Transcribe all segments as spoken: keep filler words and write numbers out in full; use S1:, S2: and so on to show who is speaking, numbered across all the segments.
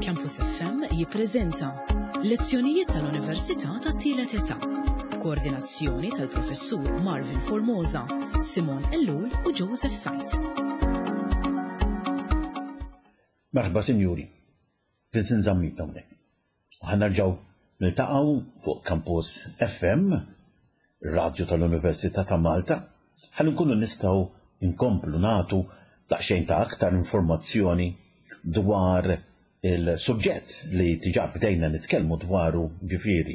S1: Campus F M jippreżenta Lezzjonijiet tal-Università tat-Tielet Età. Koordinazzjoni tal-Professur Marvin Formosa, Simon Ellul u Joseph Sajt.
S2: Merħba, sinjuri, Vincent Zammit hawnhekk. U ħa nerġgħu niltaqgħu fuq Campus F M, radio tal-Università ta' Malta, ħalli nkunu nistgħu nkomplu nagħtu daqsxejn ta' aktar informazzjoni dwar il-suġġett li diġà bdejna nitkellmu dwaru, ġifieri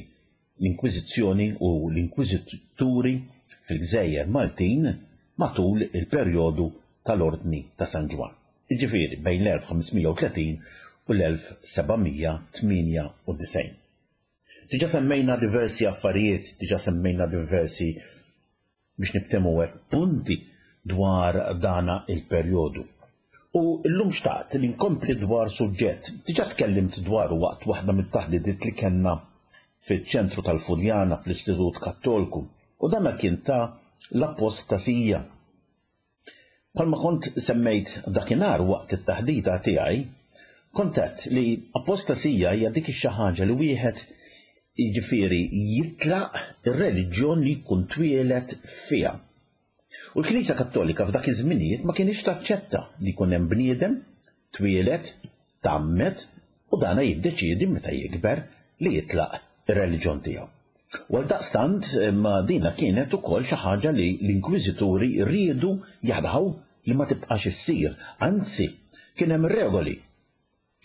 S2: l-Inkwiżizzjoni u l-Inkwiżituri fil-Gżejjer Maltin matul il-perjodu tal-Ordni ta' San Ġwann. Ġifieri bejn l-elf ħames mija u tletin u l-elf seba' mija tmienja u disgħin. Diġà semmejna diversi affarijiet, diġà semmejna diversi, biex niftehmu hekk, punti dwar dana il-perjodu. U llum xtaqt li nkompli dwar suġġett, diġà tkellimt dwaru waqt waħda mit-taħdidiet li kellna fiċ-ċentru tal-Furjana fl-Istitut Kattolku, u dana kien ta' l-apostasija. Bħalma kont semmejt dakinhar waqt it-taħdita tiegħi, kont għedt li apostasija hija dik ix-xi ħaġa li wieħed, jiġifieri, jitlaq ir-reliġjon li jkun twieled fiha. U l-Knisja Kattolika f'dak iż-żminijiet ma kienx taċċetta li jkun hemm bniedem twieled, tgħammed u dana jiddeċiedi meta jikber li jitlaq ir-reliġjon tiegħu. U għal daqstant ma dina kienet ukoll xi ħaġa li l-inkwiżituri riedu jaraw li ma tibqax issir, anzi kien hemm regoli,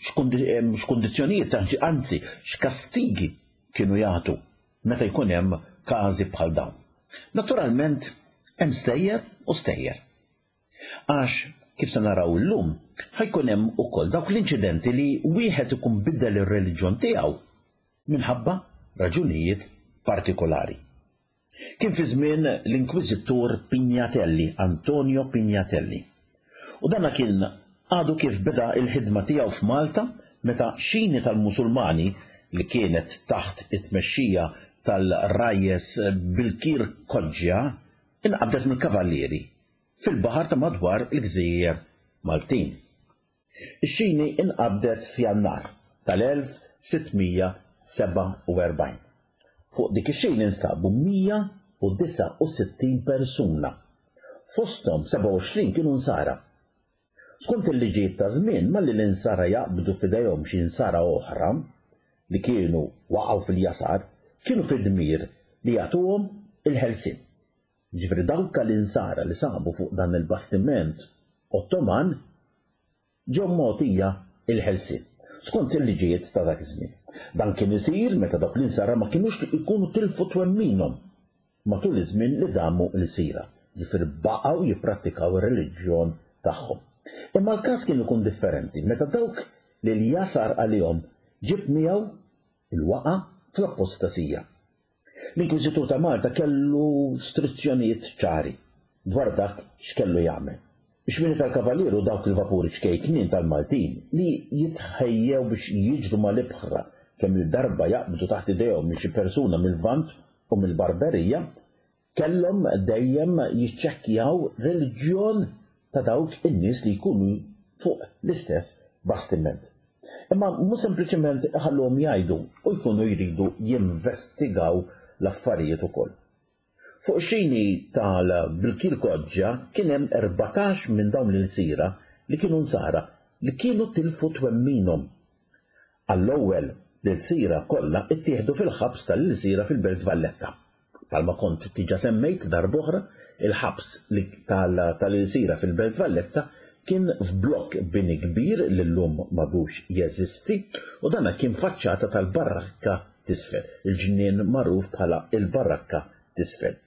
S2: x'kundizzjonijiet, anzi x'kastigi kienu jagħtu meta jkun hemm każi bħal dawn. Naturalment hemm stejjer u stejjer. Għax kif se naraw illum, ħa jkun hemm ukoll dawk l-inċidenti li wieħed ikun biddel ir-reliġjon tiegħu minħabba raġunijiet partikolari. Kien fi żmien l-Inkwiżitur Pignatelli, Antonio Pignatelli. U dana kien għadu kif beda il-ħidma tiegħu f'Malta meta xini tal-Musulmani li kienet taħt it-tmexxija tal-Rajjes Bilkir Koġġja inqabdet mill-kavallieri fil-baħar ta' madwar il-Gżejjer Maltin. Ix-xini inqabdet f'Jannar tal-elf sitt mija sebgħa u erbgħin. Fuq dik ix-xini instabu mija u disgħa u sittin persuna. Fosthom sebgħa u għoxrin kienu nsara. Skont il-liġijiet ta' żmien, malli l-insara jaqbdu f'idejhom xi insara oħra li kienu waqgħu fil-jasar, kienu fid-dmir li jagħtuhom il-ħelsien. Ġifieri dawk l-insara li sabu fuq dan il-bastiment Ottoman ġew mogħtija il-ħelsien skont il-liġijiet ta' dak iż-żmien. Dan kien isir meta dawk l-insara ma kienux ikunu tilfu twemminhom matul iż-żmien li damu lsira, ġifieri baqgħu jipprattikaw ir-reliġjon tagħhom. Imma l-każ kien ikun differenti meta dawk li l-jasar għalihom ġib miegħu il-waqa fl-apostasija. L-Inkwiżitur ta' Malta kellu istruzzjonijiet ċari dwar dak x'kellu jagħmel. Ix-xwieni tal-Kavalieru, dawk il-vapuri ċkejknin tal-Maltin li jitħejjew biex jiġru mal-ibħra kemm il-darba jaqbdu taħt idejhom minn xi persuna mill-Lvant u mill-Barberija, kellhom dejjem jiċċekkjaw reliġjon ta' dawk in-nies li jkunu fuq l-istess bastiment. Imma mhux sempliċement ħalluhom jgħidu u jkunu jridu jinvestigaw l-affarijiet ukoll. Fuq xini tal-Bilkir Koġġa kien hemm erbatax minn dawn l-insira li kienu nsara li kienu tilfu twemminhom. Għall-ewwel l-ilsira kollha ittieħdu fil-ħabs tal-ilsira fil-Belt Valletta. Bħalma kont diġà semmejt darb'oħra, il-ħabs tal-ilsira fil-Belt Valletta kien f'blokk bini kbir li llum m'għadux jeżisti, u dana kien faċċata tal-Barrakka t'Isfel, il-ġnien magħruf bħala il-Barrakka t'Isfel.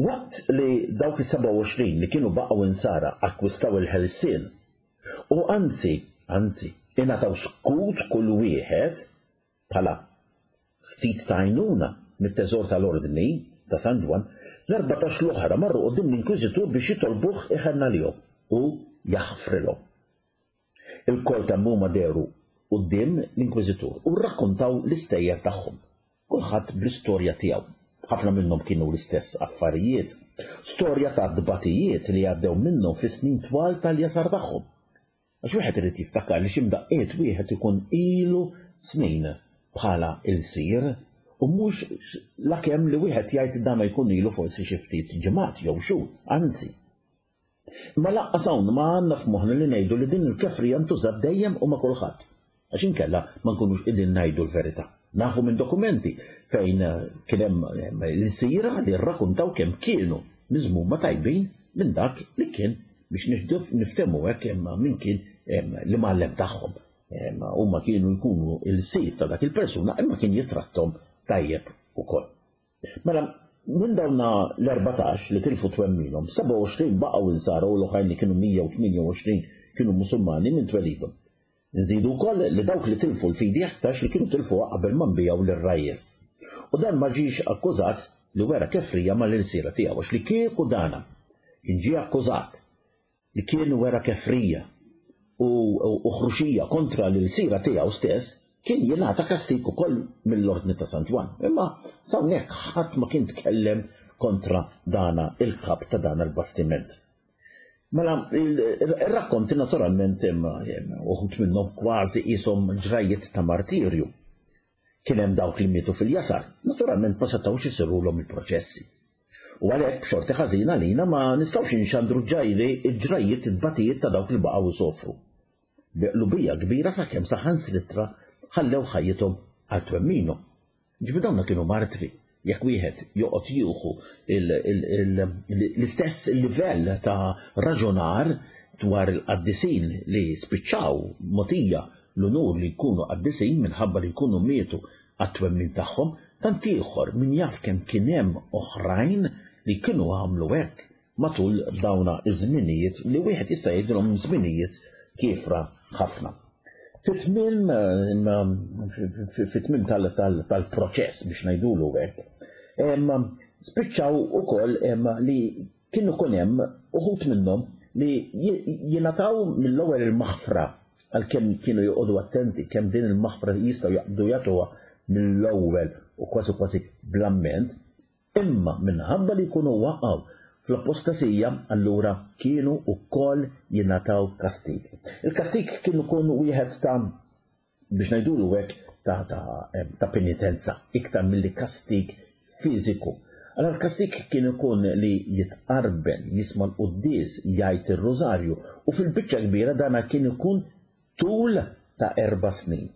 S2: Waqt li dawk is-sebgħa u għoxrin li kienu baqgħu insara akkwistaw il-ħelsien u anzi, anzi, ingħataw skut kull wieħed bħala ftit ta' għajnuna mit-teżor tal-Ordni ta' San Ġwann, l-erbatax l-oħra marru quddiem l-Inkwiżitur biex jitolbuh iħenn għalihom u jaħfrilhom. Ilkoll kemm huma dehru quddiem l-Inkwiżitur u rrakkontaw l-istejjer tagħhom, kulħadd bl-istorja tiegħu. Ħafna minnhom kienu l-istess affarijiet, storja ta' dbatijiet li għaddew minnhom fi snin twal tal-jasar tagħhom. Għax wieħed irid jiftakar li xi mdaqqiet wieħed ikun ilu snin bħala ilsir u mhux lakemm li wieħed jgħid dan jkun ilu forsi xi ftit ġimgħat jew xhur, anzi. Imma lanqas hawn ma għandna f'moħħna li ngħidu li din il-kefrija ntużat dejjem u ma' kulħadd. Għax inkella ma nkunux qegħdin ngħidu l-verità. Nafu minn dokumenti fejn kien hemm l-sira li rrakkuntaw kemm kienu miżmuma tajbin minn dak li kien biex niftehmu hekk min kien l-imgħallem tagħhom. Huma kienu jkunu il-sir ta' dak il-persuna imma kien jitrattom tajjeb ukoll. Mela, minn dawna l-erbatax li tilfu twemminhom, sebgħa u għoxrin baqgħu insara u l-oħrajn li kienu mija u tmienja u għoxrin kienu Musulmani minn twelidhom. Nżidu wkoll li dawk li tilfu l-fidi aktarx li kienu tilfuha qabel ma nbijaw lir-rajjes. U dan ma ġiex akkużat li wera kefrija mal-ilsira tiegħu, għax li kieku dana kien ġie akkużat li kien wera kefrija u, u ħruxija kontra l-ilsira tiegħu stess, kien jingħata kastig ukoll mill-Ordni ta' San Ġwann. Imma s'hawnhekk ħadd ma kien tkellem kontra dana il-kap ta' dana l-bastiment. Mela, il-rakkonti naturalment uħud minnhom kważi qishom ġrajiet ta' martirju. Kien hemm dawk li mietu fil-jasar, naturalment ma setgħux isirulhom il-proċessi. U għalhekk b'xorti ħażina lina ma nistgħux inxandru ġajri ġrajiet it-tbatijiet ta' dawk li baqgħu jsofru. Bi qlubija kbira sakemm saħansitra ħallew ħajjithom għal twemminhom. Ġifieri dawna kienu martri. Jekk wieħed joqgħod jieħu l-istess livell ta' raġunar dwar il-qaddisin li spiċċaw mogħtija l-unur li jkunu qaddisin minħabba li jkunu mietu għat-twemmin tagħhom, tant ieħor min jaf kemm kien hemm oħrajn li kienu għamlu hekk matul dawna iż-żminijiet li wieħed jista' jgħidilhom żminijiet kiefra ħafna. Fit-tmiem fit-tmiem tal-proċess biex ngħidulu hekk, spiċċaw ukoll li kienu ikun hemm uħud minnhom li jingħataw mill-ewwel il-maħfra għalkemm kienu joqogħdu attenti kemm din il-maħfra jistgħu jaqbdu jagħtuha mill-ewwel u kważi kważi bl-amment, imma minħabba li jkunu waqgħu fl-apostasija allura kienu wkoll jingħataw kastig. Il-kastig kien ikun wieħed ta' biex ngħidulu hekk ta', ta, ta' penitenza iktar milli kastig fiżiku. Allora l-kastig kien ikun li jitqarben, jisma' l-quddies, jgħid ir-rużarju u fil-biċċa kbira dana kien ikun tul ta' erba' snin.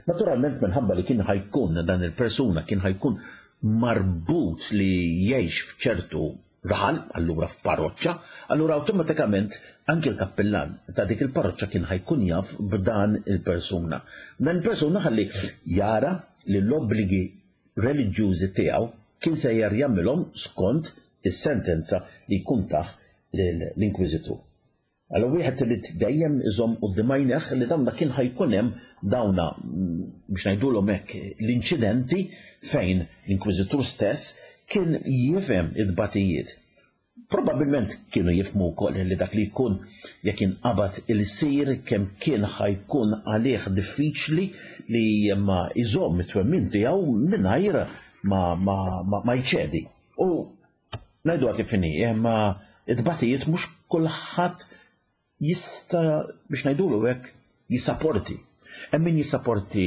S2: Naturalment minħabba li kien ħajkun dan il-persuna kien ħajkun marbut li jgħix f'ċertu raħal, allura f'parroċċa, allura awtomatikament anke l-kappillan ta' dik il-parroċċa kien ħajkun jaf b'dan il-persuna. Dan il-persuna ħalli jara li l-obbligi reliġjużi tiegħu kien sejjer jagħmilhom skont is-sentenza li jkun tah l-inkwiżitur. Allura wieħed irid dejjem iżomm quddiem għajnejh li dawn kien ħajkun hemm dawna biex ngħidulhom hekk l-inċidenti fejn l-inkwiżitur stess kien jifhem it-tbatijiet. Probabilment kienu jifhmu wkoll li dak li jkun jekk inqabad il-sir kemm kien ħajkun għalih diffiċli li ma iżomm it-twemmin tiegħu mingħajr ma, ma, ma, ma jċedi. U ngħiduha kif inhi, imma it-tbatijiet mhux kulħadd jista' biex ngħidulu hekk jissaporti. Hemm min jissaporti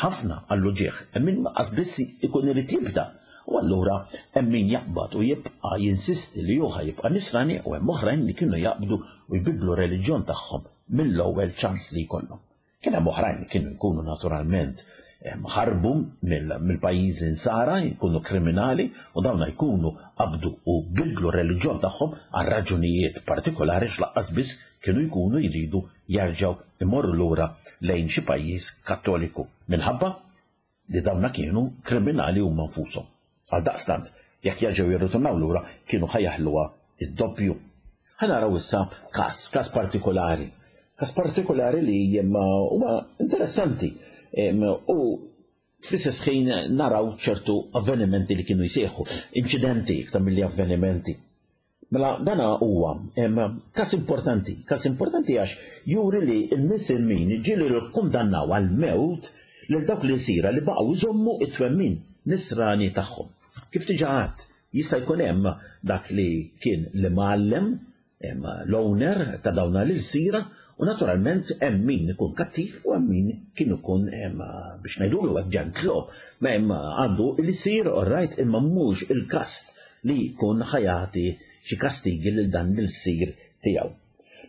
S2: ħafna għall-uġigħ, hemm min qas biss ikun irid jibda. U allura hemm min jaqbad u jibqa' jinsisti li hu jibqa' nisrani u hemm oħrajn li kienu jaqbdu u jbidlu reliġjon tagħhom mill-ewwel ċans li jkollhom. Kien hemm oħrajn li kienu jkunu naturalment ħarbu mill-pajjiżi insara, jkunu kriminali u dawna jkunu qabdu u bidlu reliġjon tagħhom għal raġunijiet partikolari x'laqqas biss kienu jkunu jridu jerġgħu imorru lura lejn xi pajjiż kattoliku minħabba li dawna kienu kriminali huma nfushom. Għal daqstant, jekk jerġgħu jirritornaw lura kienu ħajaħluha id-doppju. Ħa naraw issa każ, każ partikolari. Każ partikolari li huwa interessanti u fl-istess ħin naraw ċertu avvenimenti li kienu jsejħu, inċidenti iktar milli avvenimenti. Mela dana huwa każ importanti, każ importanti għax juri li l-Misilmin ġieli kkundannaw għal mewt lil dawk li sira li baqgħu jżommu it-twemmin nisrani tagħhom. Kif diġà għadt, jista' jkun hemm dak li kien l-imgħallem, l-owner ta' dawna l-sira U naturalment hemm min ikun kattiv u hemm min kien ikun biex ngħidulu hekk ġentlo, ma hemm għandu l-isir orrajt imma mhux il-kast li jkun ħajati xi kastigi lil dan l-sir tiegħu.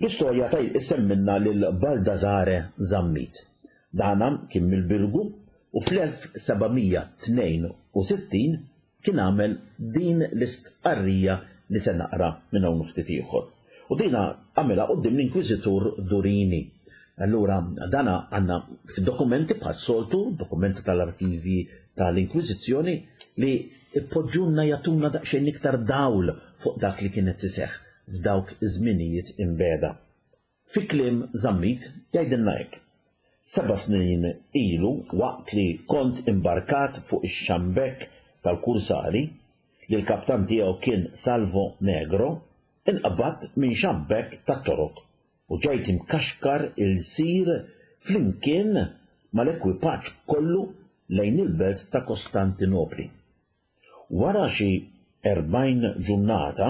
S2: L-istorja taj issemminna lil Baldassare Zammit. Dana kien mill-Birgu u fl-elf seba' mija tnejn u sittin kien għamel din l-istqarrija li se naqra minn hawn ftit ieħor. U dina għamilha quddiem l-Inkwiżitur Durini. Allura dana għandna fid-dokumenti bħas-soltu, dokumenti tal-arkivi tal-Inkwiżizzjoni li ippoġġunna jagħtuna daqsxejn iktar dawl fuq dak li kienet iseħħ f'dawk iż-żminijiet imbeda. Fi kliem Zammit jgħidilna hekk. Seba' snin ilu waqt li kont imbarkat fuq ix-xambek tal-Kursari li l-kaptan tiegħu kien Salvo Negro, inqabad minn xambek tat-Torok u ġejt imkaxkar il-sir flimkien mal-ekwipaġġ kollu lejn il-belt ta' Kostantinopli. Wara xi erbgħin ġurnata,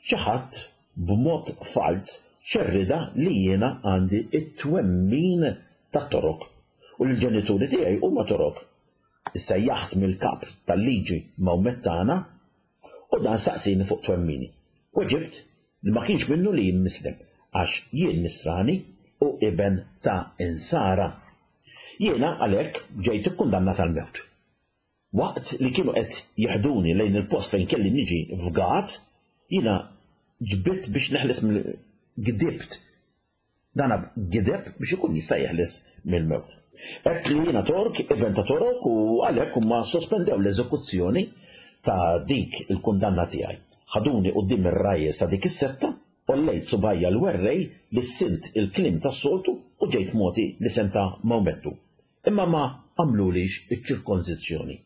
S2: xi ħadd b'mod falz xerrida li jiena għandi it-twemmin tat-Torok u l-ġenituri tiegħi huma Torok. Issejjaħt mill-kap tal-liġi Mawmettana u dan saqsini fuq twemmini. Weġibt li ma kienx minnu li jien mislem għax jien nisrani u iben ta' insara. Jiena għalhekk ġejt ikkundannat għall-mewt. Waqt li kienu qed jeħduni lejn il-post fejn kelli niġi fgat, jiena ġbitt biex neħles mill-gdibt. Dana gideb biex ikun jista' jeħles mill-mewt. Hekk li jiena Tork, iben ta' Torok, u għalhekk huma sospendew l-eżekuzzjoni ta' dik il-kundanna tiegħi. Ħaduni quddiem ir-rajjes ta' dik is-setta, ollejt subajja l-werrej li sint il-kliem tas-soltu u ġejt moti l-isem ta' Mawmettu. Imma ma għamlulix iċ-ċirkonżizzjoni.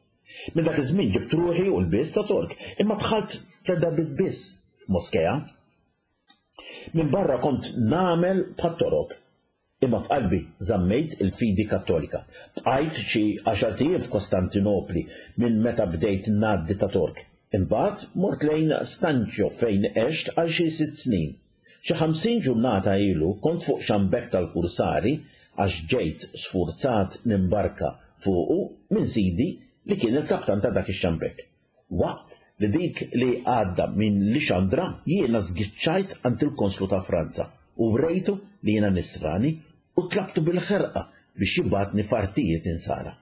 S2: Minn dak iż-żmien ġibt ruħi u l-biss ta' Tork, imma dħalt tliet darbiet biss f'moskea. Minn barra kont nagħmel bħat-Torok, imma f'qalbi żammejt il-fidi Kattolika. Bqajt xi għaxar ijiem f'Kostantinopli minn meta bdejt ngħaddi ta' Tork. Imbagħad mort lejn Stanċjo fejn għext għal xi sitt snin. Xi ħamsin ġurnata ilu kont fuq xambek tal-Kursari għax ġejt sfurzat nimbarka fuqu minn sidi li kien il-kaptan ta' dak ix-xambek. Waqt li dik li għadda minn Lixandra jiena żgiċċajt għand il-Konslu ta' Franza u wrejtu li jiena nisrani u tlabtu bil-ħerqa biex jibgħatni f'artijiet insara.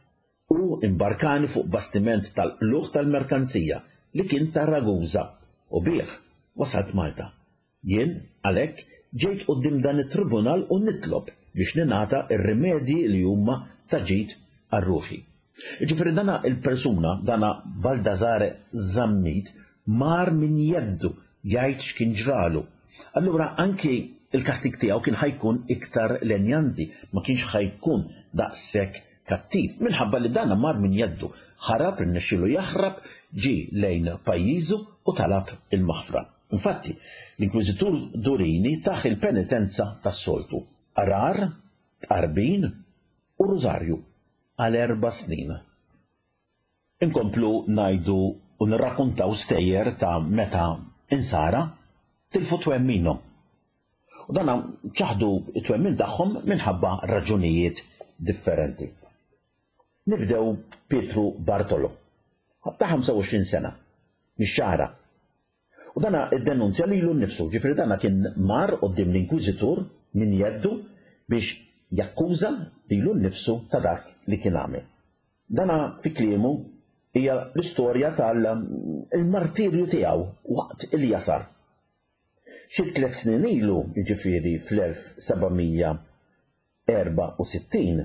S2: U imbarkani fuq bastiment tal-qlugħ tal-merkanzija li kien ta' Ragusa u bih wasalt Malta. Jien għalhekk ġejt quddiem dan it-tribunal u nitlob biex ninata ir-rimedji li huma ta' ġid għar-ruħi. Jiġifieri dana il-persuna, dana Baldassare Zammit, mar minn jeddu jgħid x'kien ġralu. Allura anki il-kastig tiegħu kien ħajkun iktar lenjanti, ma kienx ħajkun daqshekk kattiv, minħabba li dana mar minn jeddu, ħarab, irnexxielu jaħrab, ġie lejn pajjiżu u talab il-maħfra. Infatti, l-Inkwiżitur Durini taħ il-penitenza tas-soltu, qarar, tqarbin u rużarju għal erba' snin. Inkomplu ngħidu u nirrakkuntaw stejjer ta' meta insara tilfu twemminhom. U dan ċaħdu t-twemmin tagħhom minħabba raġunijiet differenti. Nibdew Pietru Bartolo, ta' ħamsa u għoxrin sena, mix-Xagħra. U dana iddenunzja lilu nnifsu, ġifieri dana kien mar quddiem l-Inkwiżitur minn jeddu biex jakkuża lilu nnifsu ta' dak li kien għamel. Dana fi kliemu hija l-istorja tal-martirju tiegħu waqt il-jasar. Xi tliet snin ilu, jiġifieri fl-elf seba' mija erba' u sittin,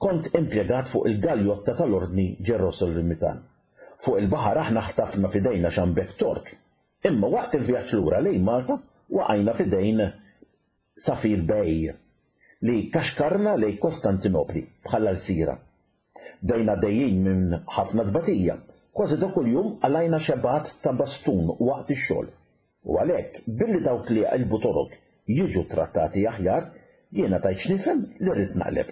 S2: kont impjegat fuq il-galjotta tal-Ordni Ġerosolimitana. Fuq il-baħar aħna ħtafna f'idejna xambek Tork, imma waqt il-vjaġġ lura lejn Malta waqajna f'idejn Safir Bey li kaxkarna lejn Kostantinopli bħala l-sira. Bdejna dejjin minn ħafna tbatija, kważi ta' kuljum għalajna xebat ta' bastun waqt ix-xogħol. U għalhekk billi dawk li jaqilbu Torok jiġu trattati aħjar, jiena tajt x'nifhem li rrid naqleb.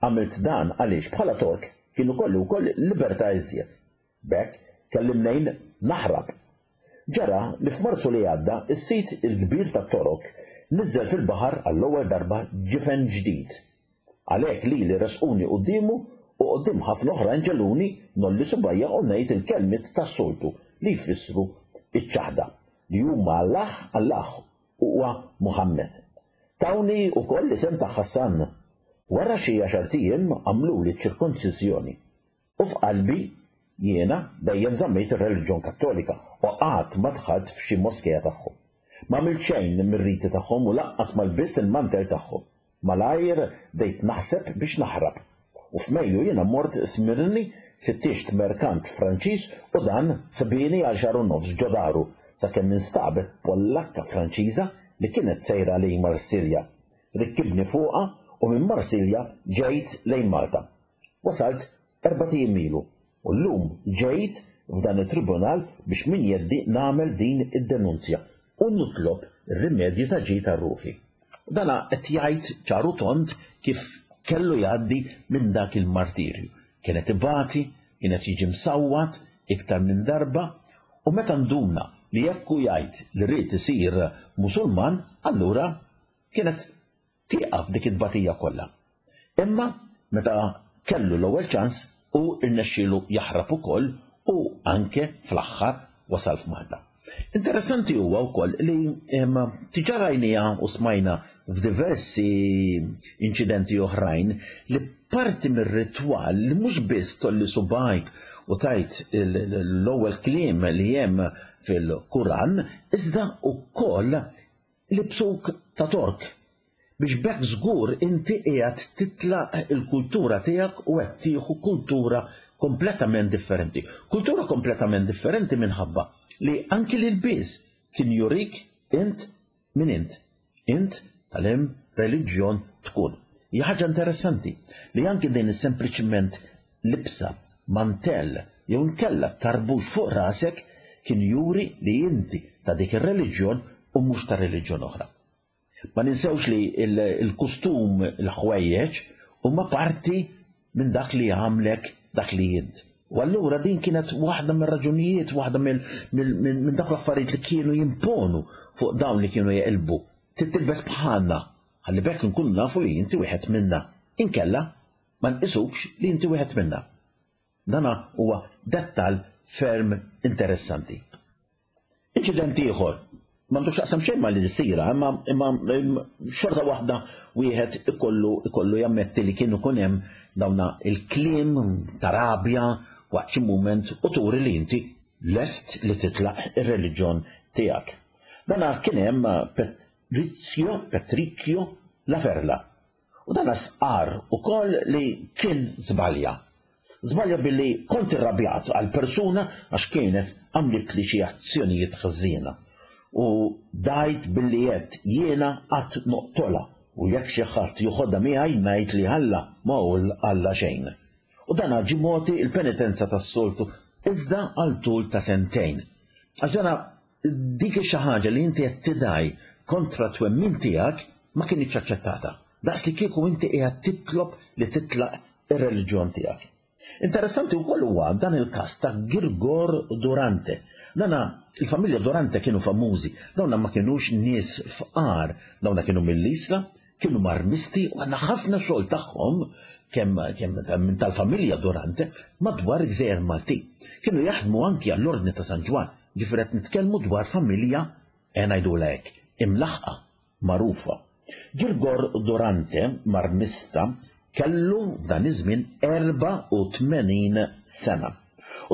S2: Għamilt dan għaliex bħala Tork kienu kolli wkoll libertà iżjed. B'hekk kelli mnejn naħrab. Ġara li f'Marzu li għadda is-sit il-kbir tat-Torok niżel fil-baħar għall-ewwel darba ġifen ġdid. Għalhekk lili resquni quddiemu u quddiem ħafna oħrajn ġegħluni ngħolli subgħajja u ngħid il-kelmiet tas-soltu li jfissru iċ-ċaħda li huma Allah, Allah huwa Muhammed. Tawni wkoll l-isem ta' Ħassan. Wara xi għaxart ijiem għamluli ċ-ċirkonċiżjoni. U f'qalbi jiena dejjem żammejt ir-reliġjon Kattolika u qatt ma dħalt f'xi moskea tagħhom. Ma għamilt xejn mir-riti tagħhom u lanqas ma lbist il-mantel tagħhom. Malajr bdejt naħseb biex naħrab. U f'Mejju jiena mort Smirni, fittixt merkant Franċiż u dan ħbieni għal xahar u nofs ġo daru sakemm instabet Pollakka Franċiża li kienet sejra lejn Marsilja. Rikkibni fuqha u minn Marsilja ġejt lejn Malta. Wasalt erbat ijiem ilu u llum ġejt f'dan it-tribunal biex minn jeddi nagħmel din id-denunzja u nitlob ir-rimedju ta' ġid għal ruħi. U dana qed jgħid ċar u tond kif kellu jgħaddi minn dak il-martirju. Kien qed ibati, kien qed jiġi msawwat iktar minn darba, u meta nduna li jekk hu jgħid li ried isir Musulman, allura kienet tieqaf dik it-tbatija kollha. Imma meta kellu l-ewwel ċans u rnexxielu jaħrab ukoll u anke fl-aħħar wasal f'Malta. Interessanti huwa wkoll li diġà rajniha u smajna f'diversi inċidenti oħrajn li parti mir-ritwal li mhux biss tolli subgħajk u tajt l-ewwel kliem li hemm fil-Kuran, iżda wkoll libsuk ta' Tork biex b'hekk żgur inti qiegħed titlaq il-kultura tiegħek u qed tieħu kultura kompletament differenti. Kultura kompletament differenti minħabba li anki l-ilbies kien jurik int min int. Int tal-hemm reliġjon tkun. Hija ħaġa interessanti li anki din sempliċiment libsa, mantell jew inkella tarbux fuq rasek kien juri li inti ta' dik ir-reliġjon u mhux ta' reliġjon oħra. Ma ninsewx li il-kustum, il-ħwejjeġ huma parti minn dak li għamlek dak li int. U allura din kienet waħda mir-raġunijiet, waħda minn dak l-affarijiet li kienu jimponu fuq dawn li kienu jeqilbu. Trid tilbes bħalna, ħalli b'hekk nkunu nafu li inti wieħed minna. Inkella ma nqisukx li inti wieħed minna. Dana huwa dettal ferm interessanti. Inċident ieħor m'għandux x'jaqsam xejn ma' l-sira, imma imma xorta waħda wieħed ikollu ikollu jammetti li kienu kun hemm dawna il-kliem ta' rabja waqt xi mument u turi li inti lest li titlaq ir-reliġjon tiegħek. Dana kien hemm Patrizio Petricchio La Ferla. U dana sqar ukoll li kien żbalja. Żbalja billi kont irrabjat għal persuna għax kienet għamlet li xi azzjonijiet ħżiena. U dajt billi għedt jiena qatt noqtolha u jekk xi ħadd joħodha miegħi ngħid li Alla ma hu Alla xejn. U dan ġie mogħti l-penitenza tas-soltu iżda għal tul ta' sentejn. Għax dana dik xi ħaġa li inti qed tidaj kontra twemmin tiegħek ma kinitx aċċettata. Daqs li kieku inti qiegħed titlob li titlaq ir-reliġjon tiegħek. Interessanti wkoll huwa dan il-każ ta' Girgor Durante. Dana il-familja Durante kienu famużi, dawna ma kienux nies fqar, dawna kienu mill-Isla, kienu marmisti u għandna ħafna xogħol tagħhom kemm kemm minn tal-familja Durante madwar gżejjer Maltin. Kienu jaħdmu anki għall-Ordni ta' San Ġwann, ġifieri qed nitkellmu dwar familja e ngħidulha hekk, imlaħqa, magħrufa. Girgor Durante, marmista, kellu f'dan iż-żmien erbgħa u tmenin sena.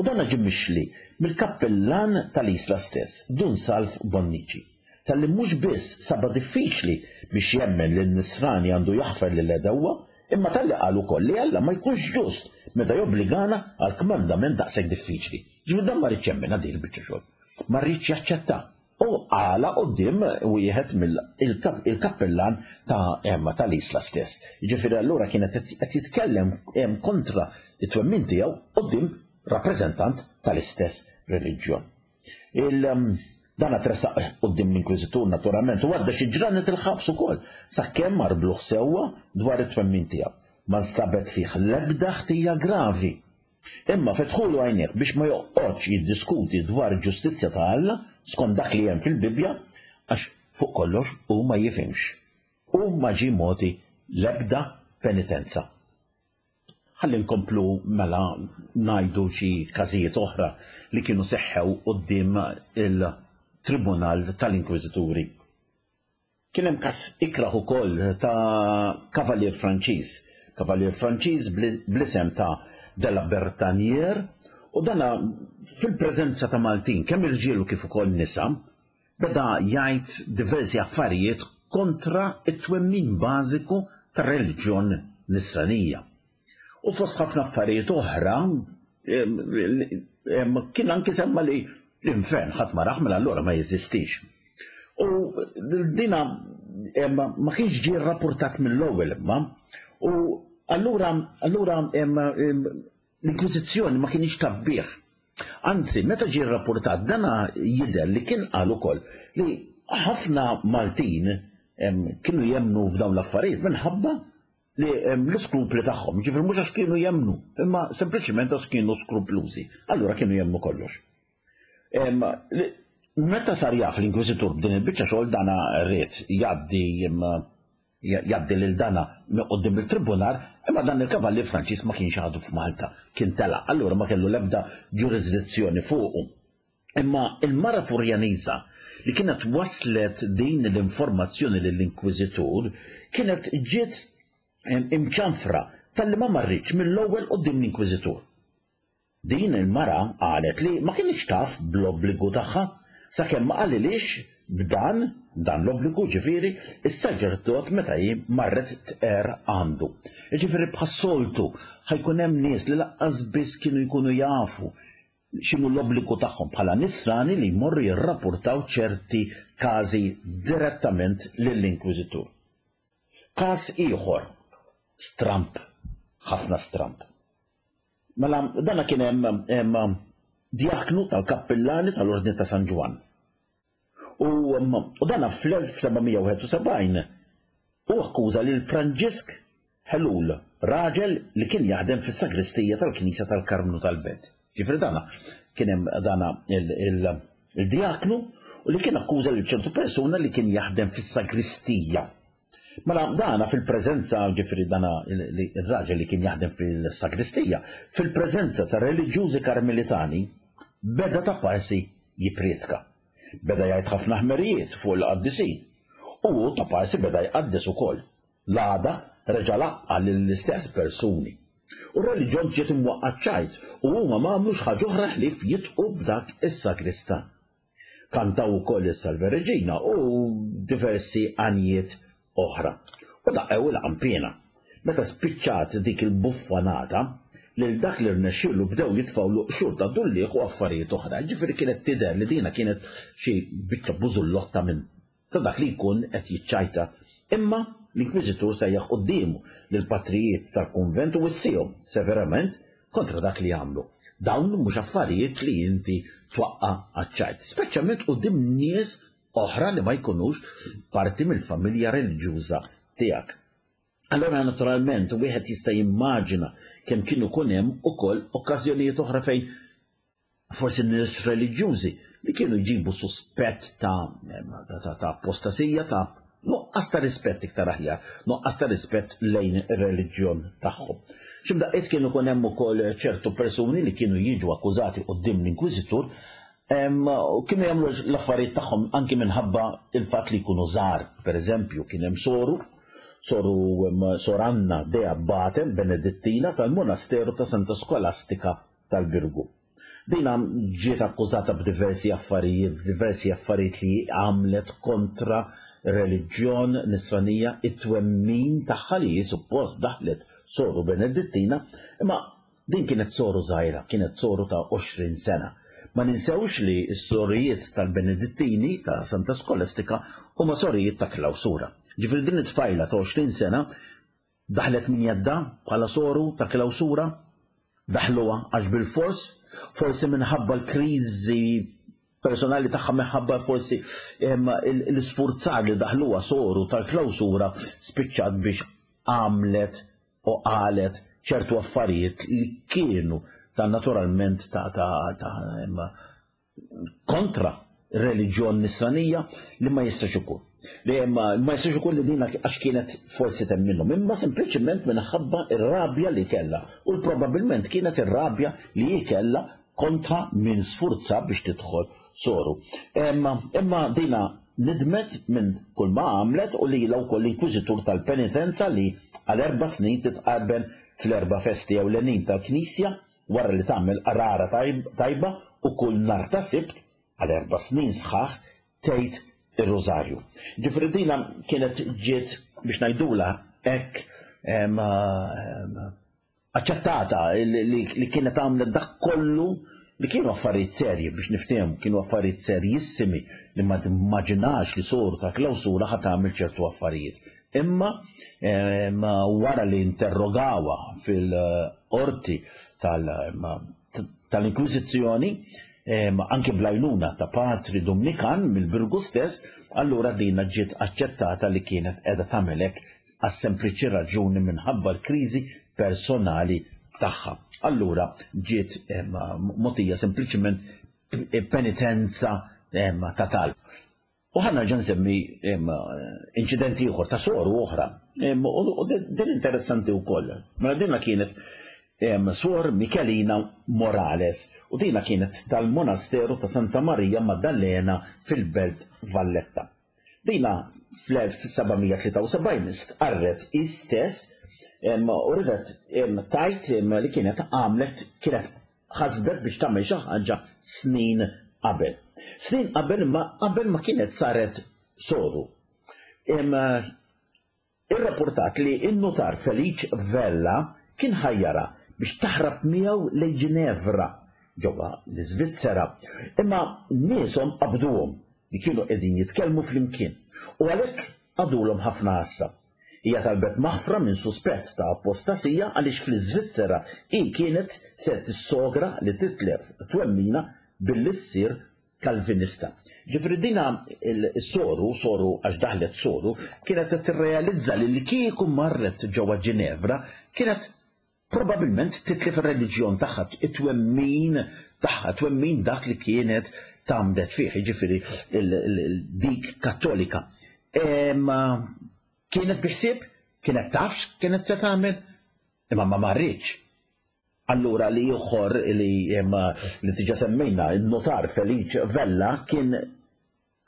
S2: U dan ġie mixli mill-kappillan tal-Isla stess, Dun Salv Bonnici, talli mhux biss saba diffiċli biex jemmen li n-Nisrani għandu jaħfer lil għedewwa, imma talli qal ukoll li Alla ma jkunx ġust meta jobbligana għal kmandament daqshekk diffiċli. Ġifieri dan ma rridx jemmen din il-biċċa xogħol. Ma rridx jaċċetta. U għala quddiem wieħed mill-kappillan ta' Emma tal-Isla stess. Jiġifieri allura kienet qed jitkellem kontra it-twemmin tiegħu quddiem rappreżentant tal-istess reliġjon. Il dan tressaq quddiem l-Inkwiżitur naturalment u għadda xi ġranet il-ħabs ukoll sakemm marbluh sewwa dwar it-twemmin tiegħu. Ma nstabet fih l-ebda ħtija gravi. Imma fetħulu għajnejh biex ma joqgħodx jiddiskuti dwar il-ġustizzja ta' Alla skont dak li hemm fil-Bibbja, għax Fuq kollox hu ma jifhimx. U ma ġie mogħti l-ebda penitenza. Ħalli nkomplu mela ngħidu xi każijiet oħra li kienu seħħew quddiem il-Tribunal tal-Inkwiżituri. Kien hemm każ ikrah ukoll ta' kavalier Franċiż, kavalier Franċiż bl-isem ta' de la Bertanier, u dana fil-preżenza ta' Maltin, kemm irġiel u kif ukoll nisa, beda jgħid diversi affarijiet kontra t-twemmin bażiku tar-reliġjon Nisranija. U fost ħafna affarijiet oħra, kien anki semma li l-infern ħadd ma rah, mela allura ma jeżistix. U dina ma kienx ġie rrapportat mill-ewwel imma, u allura allura l-Inkwiżizzjoni ma kienx taf bih. Anzi, meta ġie rrapportat dana jidher li kien qal ukoll li ħafna Maltin kienu jemmnu f'dawn l-affarijiet minħabba li l-iskrupli tagħhom, ġifieri mhux għax kienu jemmnu, imma sempliċement għax kienu skruplużi. Allura kienu jemmnu kollox. Meta sar jaf l-Inkwiżitur b'din il-biċċa xogħol, dana ried jgħaddi jgħaddi lil dana minn quddiem il-tribunal, imma dan il-kavallier Franċiż ma kienx għadu f'Malta, kien telaq, allura ma kellu l-ebda ġurisdizzjoni fuqu. Imma il-mara Furjaniża li kienet waslet din l-informazzjoni lill-Inkwiżitur kienet ġiet imċanfra talli ma marritx mill-ewwel quddiem l-Inkwiżitur. Din il-mara qalet li ma kinitx taf bl-obbligu tagħha sakemm ma qalilhiex b'dan dan l-obbligu, ġifieri is-saċerdot meta hi marret tqerr għandu. Ġifieri bħas-soltu ħajkun hemm nies li lanqas biss kienu jkunu jafu x'inhu l-obbligu tagħhom bħala Nisrani li jmorru jirrapportaw ċerti każi direttament lill-Inkwiżitur. Każ ieħor stramp, ħafna stramp. Mela dana kien hemm djaknu tal-kappillani tal-Ordni ta' San Ġwann. U, u dana fl-elf seba' mija wieħed u sebgħin u akkuża lil Franġisk Ħelul, raġel li kien jaħdem fis-sagristija tal-Knisja tal-Karmnu tal-Belt. Ġifieri dana kien hemm dana il-djaknu u li kien akkuża lil ċertu persuna li kien jaħdem fis-sagristija. Mela dana fil-preżenza, ġifieri dana il-raġel li kien jaħdem fil-sagristija, fil-preżenza ta' reliġjużi karmelitani, beda ta' parsi jipprietka. Beda jgħid ħafna ħmerijiet fuq il-qaddisin. U hu ta' parsi beda jqaddes ukoll. L-għada reġa' laqqa' lill-istess persuni. U r-reliġjon ġiet imwaqqa' ċajt u huma ma għamlux ħaġa oħra ħlief jitqu b'dak is-sagristan. Kantaw ukoll is-Salve Regina u diversi għanjiet oħra. U daqqew il-qanpiena. Meta spiċċat dik il-buffanata, lil dak li rnexxielu bdew jitfgħulu qxur ta' dullieħ u affarijiet oħra. Ġifieri kienet tidher li dina kienet xi biċċa bużullotta minn ta' dak li jkun qed jiċċajta. Imma l-Inkwiżitur sejjaħ quddiemu lill-patrijiet tal-kunvent u wissihom severament kontra dak li għamlu. Dawn mhux affarijiet li inti twaqqa' għaċ-ċajt, speċjalment quddiem nies oħra li ma jkunux parti mill-familja reliġjuża tiegħek. Allora naturalment wieħed jista' jimmaġina kemm kienu jkun hemm ukoll okkażjonijiet oħra fejn forsi nies reliġjużi li kienu jġibu suspett ta', ta, ta apostasija, ta' nuqqas ta' rispett iktar aħjar, nuqqas ta' rispett lejn ir-reliġjon tagħhom. X'imdaqqiet kienu jkun hemm ukoll ċertu persuni li kienu jiġu akkużati quddiem l-Inkwiżitur u kienu jagħmlu l-affarijiet tagħhom anki minħabba il-fatt li jkunu żgħar. Per eżempju, kien hemm soru, soru Sor Anna de Abbate, Benedittina tal-Monasteru ta' Santa Skolastika tal-Birgu. Dina ġiet akkużata b'diversi affarijiet, diversi affarijiet li għamlet kontra reliġjon nisranija, it-twemmin tagħha li hi suppost daħlet soru Benedittina, imma din kienet soru żgħira, kienet soru ta' għoxrin sena. Ma ninsewx li s-sorijiet tal-Benedittini ta' Santa Skolastika huma sorijiet ta' klawsura. Ġifieri din it-tfajla ta' għoxrin sena daħlet minn jedda bħala soru ta' klawsura, daħluha għax bil-fors, forsi minħabba l-kriżi personali tagħha, minħabba forsi l-isfurzar li daħluha soru tal-klawsura, spiċċat biex għamlet u qalet ċertu affarijiet li kienu ta' naturalment ta', ta, ta' kontra reliġjon nisranija li ma jistax ikun. Li ma ma jistax ikun li dina għax kienet forsi temminhom, imma sempliċement minħabba ir-rabja li kellha u probabbilment kienet ir-rabja li hi kellha kontra min sfurza biex tidħol soru. Imma imma dina nidmet minn kull ma għamlet u li wkoll l-inkwiżitur tal-penitenza li għal erba' snin titqarben fl-erba' festi ewlenin tal-Knisja wara li tagħmel qrara tajba u kull nhar ta' Sibt għal erba' snin sħaħ tgħid ir-Rużarju. Ġifieri dina kienet ġiet biex ngħidula hekk aċċettata li kienet għamlet dak kollu li kienu affarijiet serji biex niftehmu, kienu affarijiet serjissimi li ma timmaġinax li soru ta' klawsura ħa tagħmel ċertu affarijiet. Imma wara li interrogawha fil-qorti tal-Inkwiżizzjoni, anke bl-għajnuna ta' patri Dominikan mill-Birgu stess, allura dina ġiet aċċettata li kienet qiegħda tagħmel hekk għas-sempliċi raġuni minħabba l-kriżi personali tagħha. Allura ġiet mogħtija sempliċement penitenza ta' talb. U ħa nerġa' nsemmi inċident ieħor ta' soru oħra. U din interessanti wkoll. Mela dina kienet Suor Michelina Morales u dina kienet tal-monasteru ta' Santa Maria Maddalena fil-Belt Valletta. Dina fl-elf seba' mija tlieta u sebgħin stqarret hi stess u ridet tajt li kienet għamlet, kienet ħasbet biex tagħmel xi ħaġa snin qabel. Snin qabel imma qabel ma kienet saret soru. Irrapportat li n-notar Felice Vella kien ħajjara biex taħrab miegħu lejn Ginevra ġewwa l-Iżvizzera, imma nieshom qabduhom li kienu qegħdin jitkellmu flimkien u għalhekk għadulhom ħafna għassa. Hija talbet maħfra minn suspett ta' apostasija għaliex fl-Iżvizzera hi kienet se tissogra li titlef twemmina billi ssir Kalvinista. Ġifieri dina il-soru, soru għax daħlet soru, kienet qed tirrealizza li li kieku marret ġewwa Ginevra kienet probabilment titlef ir-reliġjon tagħha, it-twemmin tagħha, twemmin dak li kienet tgħamdet fih, jiġifieri dik Kattolika. Imma kienet biħsieb, kienet taf x'kienet se tagħmel, imma ma marritx. Allura li ieħor li li diġà semmejna, il-notar Felice Vella kien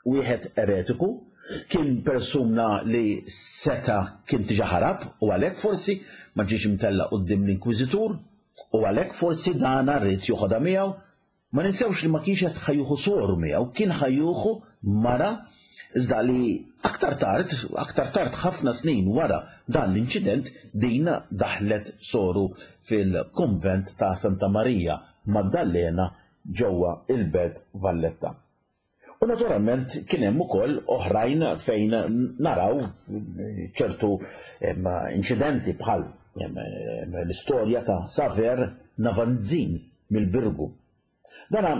S2: wieħed eretiku, kien persuna li seta kien diġà ħarab u għalhekk forsi ma ġiex imtella quddiem l-Inkwiżitur u għalhekk forsi dana rrid joħodha miegħu. Ma ninsewx li ma kienx qed ħajjuħu soru miegħu, kien ħajjuħu mara, iżda li aktar tard, aktar tard ħafna snin wara dan l-inċident, din daħlet soru fil-konvent ta' Santa Maria Maddalena ġewwa il-Belt Valletta. U naturalment kien hemm ukoll oħrajn fejn naraw ċertu inċidenti bħal l-istorja ta' Saver Navanzin mill-Birgu. Dana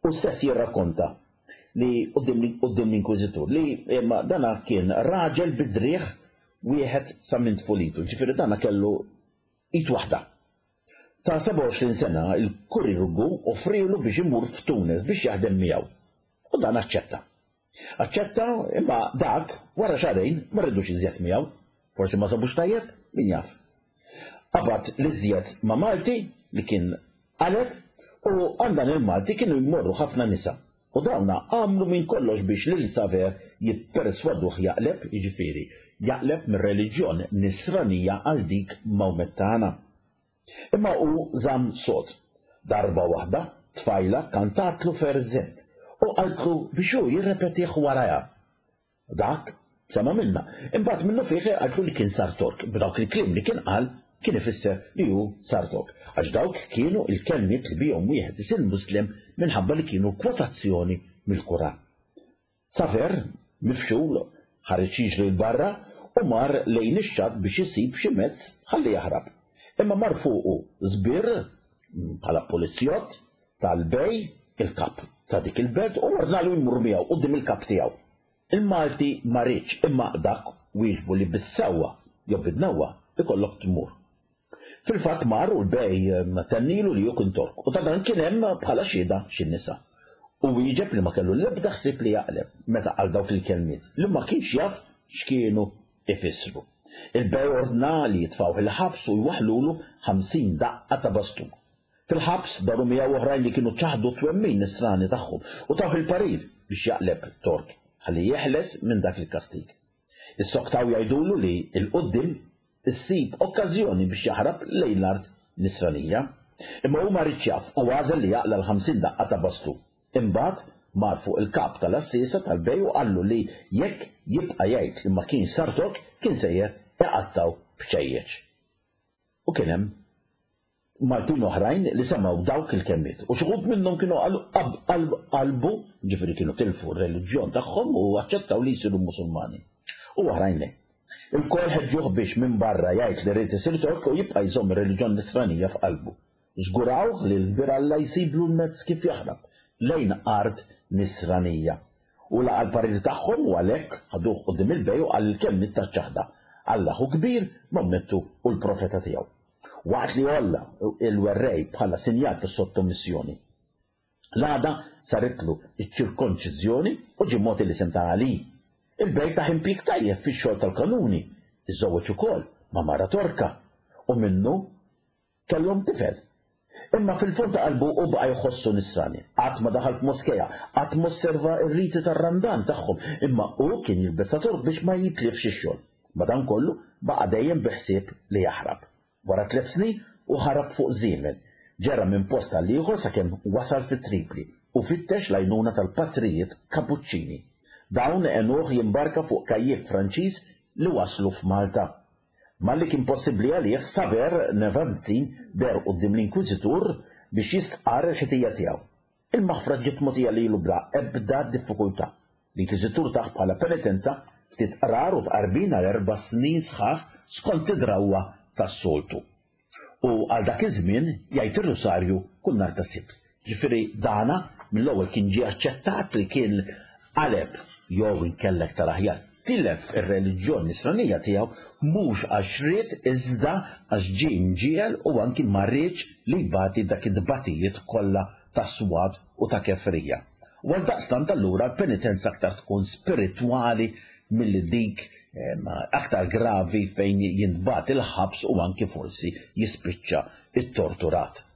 S2: u stess jirrakkonta li quddiem l-Inkwiżitur li dana kien raġel bidriħ wieħed sa minn tfulitu, ġifieri dana kellu id waħda. Ta' sebgħa u għoxrin sena il-kurirgu offrilu biex imur f'Tunis biex jaħdem miegħu. U dan aċċetta. Aċċetta imma dak wara xahrejn ma rridux iżjed miegħu. Forsi ma sabux tajjeb, min jaf. Qabad l-iżjed ma' Malti li kien qaleb u għal dan il-Malti kienu jmorru ħafna nisa. U dawna għamlu minn kollox biex lil Saver jipperswaduh jaqleb, jiġifieri jaqleb mir-reliġjon nisranija għal dik Mawmettana. Imma hu żamm sod. Darba waħda tfajla kantatlu ferzett u qaltlu biex hu jirrepetih warajha. Dak sema' minna. Imbagħad minnu fih qaltlu li kien sar Tork, b'dawk il-kliem li kien qal kien ifisser li hu sar Tork, għax dawk kienu il-kelmiet li bihom wieħed isir Muslim minħabba li kienu kwotazzjoni mill-Kuran. Saver, mifxul, ħareġ jiġri 'l barra u mar lejn ix-xatt biex isib xi mezz ħalli jaħrab. Imma mar fuqu żbir bħala pulizjott tal-bej, il-kap ta' dik il-belt, u ordnalu jmur miegħu quddiem il-kap tiegħu. Il-Malti ma riedx, imma dak wieġbu li bis-sewwa jew bid-dnewwa ikollok tmur. Fil-fatt mar u l-bej tennilu li hu kien Tork u ta' dan kien hemm bħala xhieda xi nisa. U wieġeb li ma kellu l-ebda ħsieb li jaqleb meta qal dawk il-kelmiet li ma kienx jaf x'kienu ifissru. Il-bej ordna li jitfgħuh il-ħabs u jwaħħlulu ħamsin daqqa ta' bastun. Fil-ħabs daru miegħu oħrajn li kienu ċaħdu t-twemmin nisrani tagħhom u tawh il-parir biex jaqleb Tork ħalli jeħles minn dak il-kastig. Issoktaw jgħidulu li 'l quddiem issib okkażjoni biex jaħrab lejn l-art nisranija. Imma hu ma riedx jaf u għażel li jaqla' l-ħamsin daqqa ta' bastun. Imbagħad mar fuq il-kap tal-għassiesa tal-bej u qallu li jekk jibqa' jgħid li ma kienx sar Tork kien sejjer iqattgħu bċejjeċ. U kien hemm Maltin oħrajn li semgħu dawk il-kelmiet u xi wħud minnhom kienu qalbu, ġifieri kienu tilfu r-reliġjon tagħhom u aċċettaw li jsiru Musulmani. U oħrajn le. Ilkoll ħeġġuh biex minn barra jgħid li ried isir Tork u jibqa' jżomm ir-reliġjon Nisranija f'qalbu. Żgurawh li l-kbir Alla jsiblu l-mezz kif jaħrab lejn art Nisranija. Hu laqa' l-parir tagħhom u għalhekk ħaduh quddiem il-bej u qal il-kelmiet taċ-ċaħda, Alla hu kbir, Maomettu hu l-profeta tiegħu. Waqt li għolla l-werrej bħala sinjal ta' sottomissjoni. L-għada saritlu ċ-ċirkonċiżjoni u ġie mogħti l-isem ta' Ali. Il-bej tah impjieg tajjeb fix-xogħol tal-kanuni, iżżewweġ ukoll ma' mara Torka u minnu kellhom tifel. Imma fil-fond ta' qalbu hu baqa' jħossu Nisrani. Qatt ma daħal f'moskea, qatt m'osserva r-riti tar-Randan tagħhom, imma hu kien jilbes ta' Tork biex ma jitlifx ix-xogħol. Madankollu, baqa' dejjem bi ħsieb li jaħrab. Wara tliet snin, hu ħarab fuq żiemel. Ġera minn post għal ieħor sakemm wasal fi Tripli u fittex l-għajnuna tal-patrijiet Kapuċċini. Dawn għenuh jimbarka fuq kajjik Franċiż li waslu f'Malta. Malli kien possibbli għalih, Saver Nevanzin deher quddiem l-Inkwiżitur biex jistqarr il-ħtija tiegħu. Il-maħfra ġiet mogħtija lilu bla ebda diffikultà. L-Inkwiżitur tah bħala penitenza ftit qrar u tqarbin għal erba' snin sħaħ skont id-drawwa tas-soltu. U għal dak iż-żmien jgħid ir-Rusarju kull nhar ta' Sibt. Ġifieri dana mill-ewwel kien ġie aċċettat li kien qaleb jew inkella iktar aħjar tilef ir-reliġjon nisranija tiegħu mhux għax ried iżda għax ġie mġiegħel u anki ma riedx li jbati dak it-tbatijiet kollha ta' swad u ta' kefrija. U għaldaqstant allura l-penitenza aktar tkun spiritwali milli dik aktar gravi fejn jintbagħat il-ħabs u anki forsi jispiċċa ittorturat.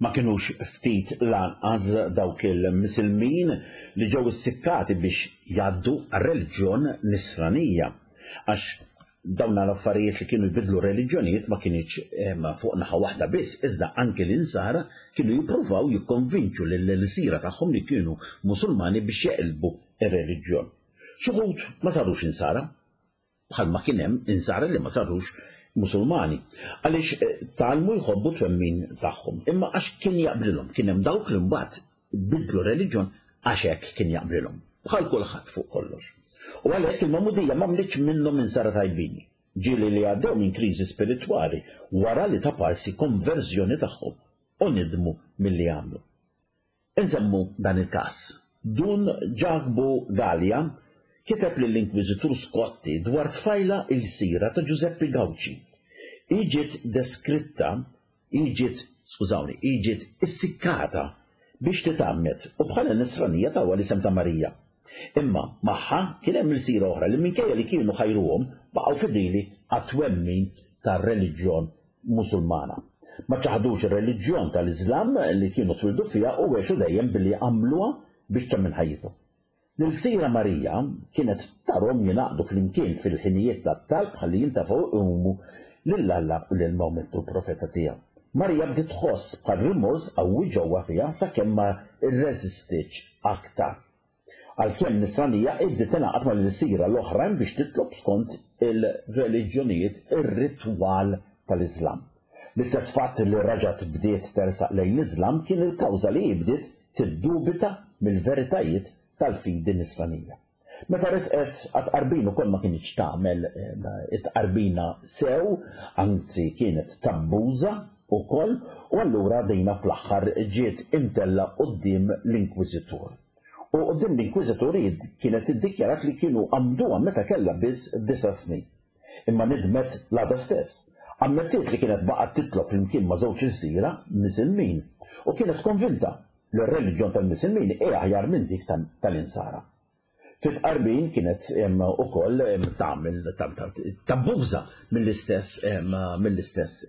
S2: Ma kinux ftit lanqas dawk il-Misilmin li ġew issikkati biex jgħaddu għar-reliġjon Nisranija, għax dawn l-affarijiet li kienu jbiddlu r-reliġjonijiet ma kinitx fuq naħa waħda biss, iżda anki l-Insara kienu jippruvaw jikkonvinċu lill-ilsira tagħhom li kienu Musulmani biex jeqilbu r-reliġjon. Xi wħud ma sarux Insara, bħalma kien hemm Insara li ma sarux Musulmani, għaliex tgħallmu jħobbu t-twemmin tagħhom, imma għax kien jaqblilhom, kien hemm dawk li mbagħad bidlu reliġjon għax hekk kien jaqblilhom, bħal kulħadd fuq kollox. U għalhekk il-magħmudija m'għamlitx minnhom insara tajbin, ġieli li għaddew minn kriżi spiritwali wara li ta' parsi konverżjoni tagħhom u nidmu milli għamlu. Insemmu dan il-każ. Dun Ġakbu Galea kiteb lill-Inkwiżitur Scotti dwar tfajla ilsira ta' Ġużeppi Gauci. Hi ġiet deskritta, hi ġiet, skużawni, hi ġiet issikkata biex titgħammed u bħala Nisranija tawha l-isem ta' Marija. Imma magħha kien hemm ilsira oħra li minkejja li kienu ħajruhom baqgħu fidili għat-twemmin tar-reliġjon Musulmana. Ma ċaħdux ir-reliġjon tal-Iżlam li kienu twildu fiha u għexu dejjem billi għamluha biċċa minn ħajjithom. L-ilsira Marija kienet tarhom jingħaqdu flimkien fil-ħinijiet tat-talb ħalli jintefgħu jqumu lil Alla u lil Mawmettu l-profeta tiegħu. Marija bdiet tħoss bħal rimors qawwi ġewwa fiha sakemm ma rreżistietx aktar. Għalkemm Nisranija, hi bdiet tingħaqad mal-ilsira l-oħrajn biex titlob skont il-reliġjonijiet ir-ritwal tal-Iżlam. L-istess fatt li raġgħet bdiet tersaq lejn l-Iżlam kien il-kawża li hi bdiet tiddubita mill-veritajiet tal-fidi Nisranija. Meta resqet għat-tqarbin ukoll ma kinitx tagħmel it-tqarbina sew, anzi kienet tabbuża ukoll, u allura dina fl-aħħar ġiet imtellgħa quddiem l-Inkwiżitur. U quddiem l-Inkwiżitur hi kienet iddikjarat li kienu għammduha meta kellha biss disa' snin. Imma nidmet l-għada stess. Ammettiet li kienet baqgħet titlob flimkien ma' żewġ ilsira Misilmin u kienet konvinta li r-reliġjon tal-Misilmin hija aħjar minn dik tal-Insara. Fit-tqarbin kienet ukoll tagħmel tabbuża mill-istess mill-istess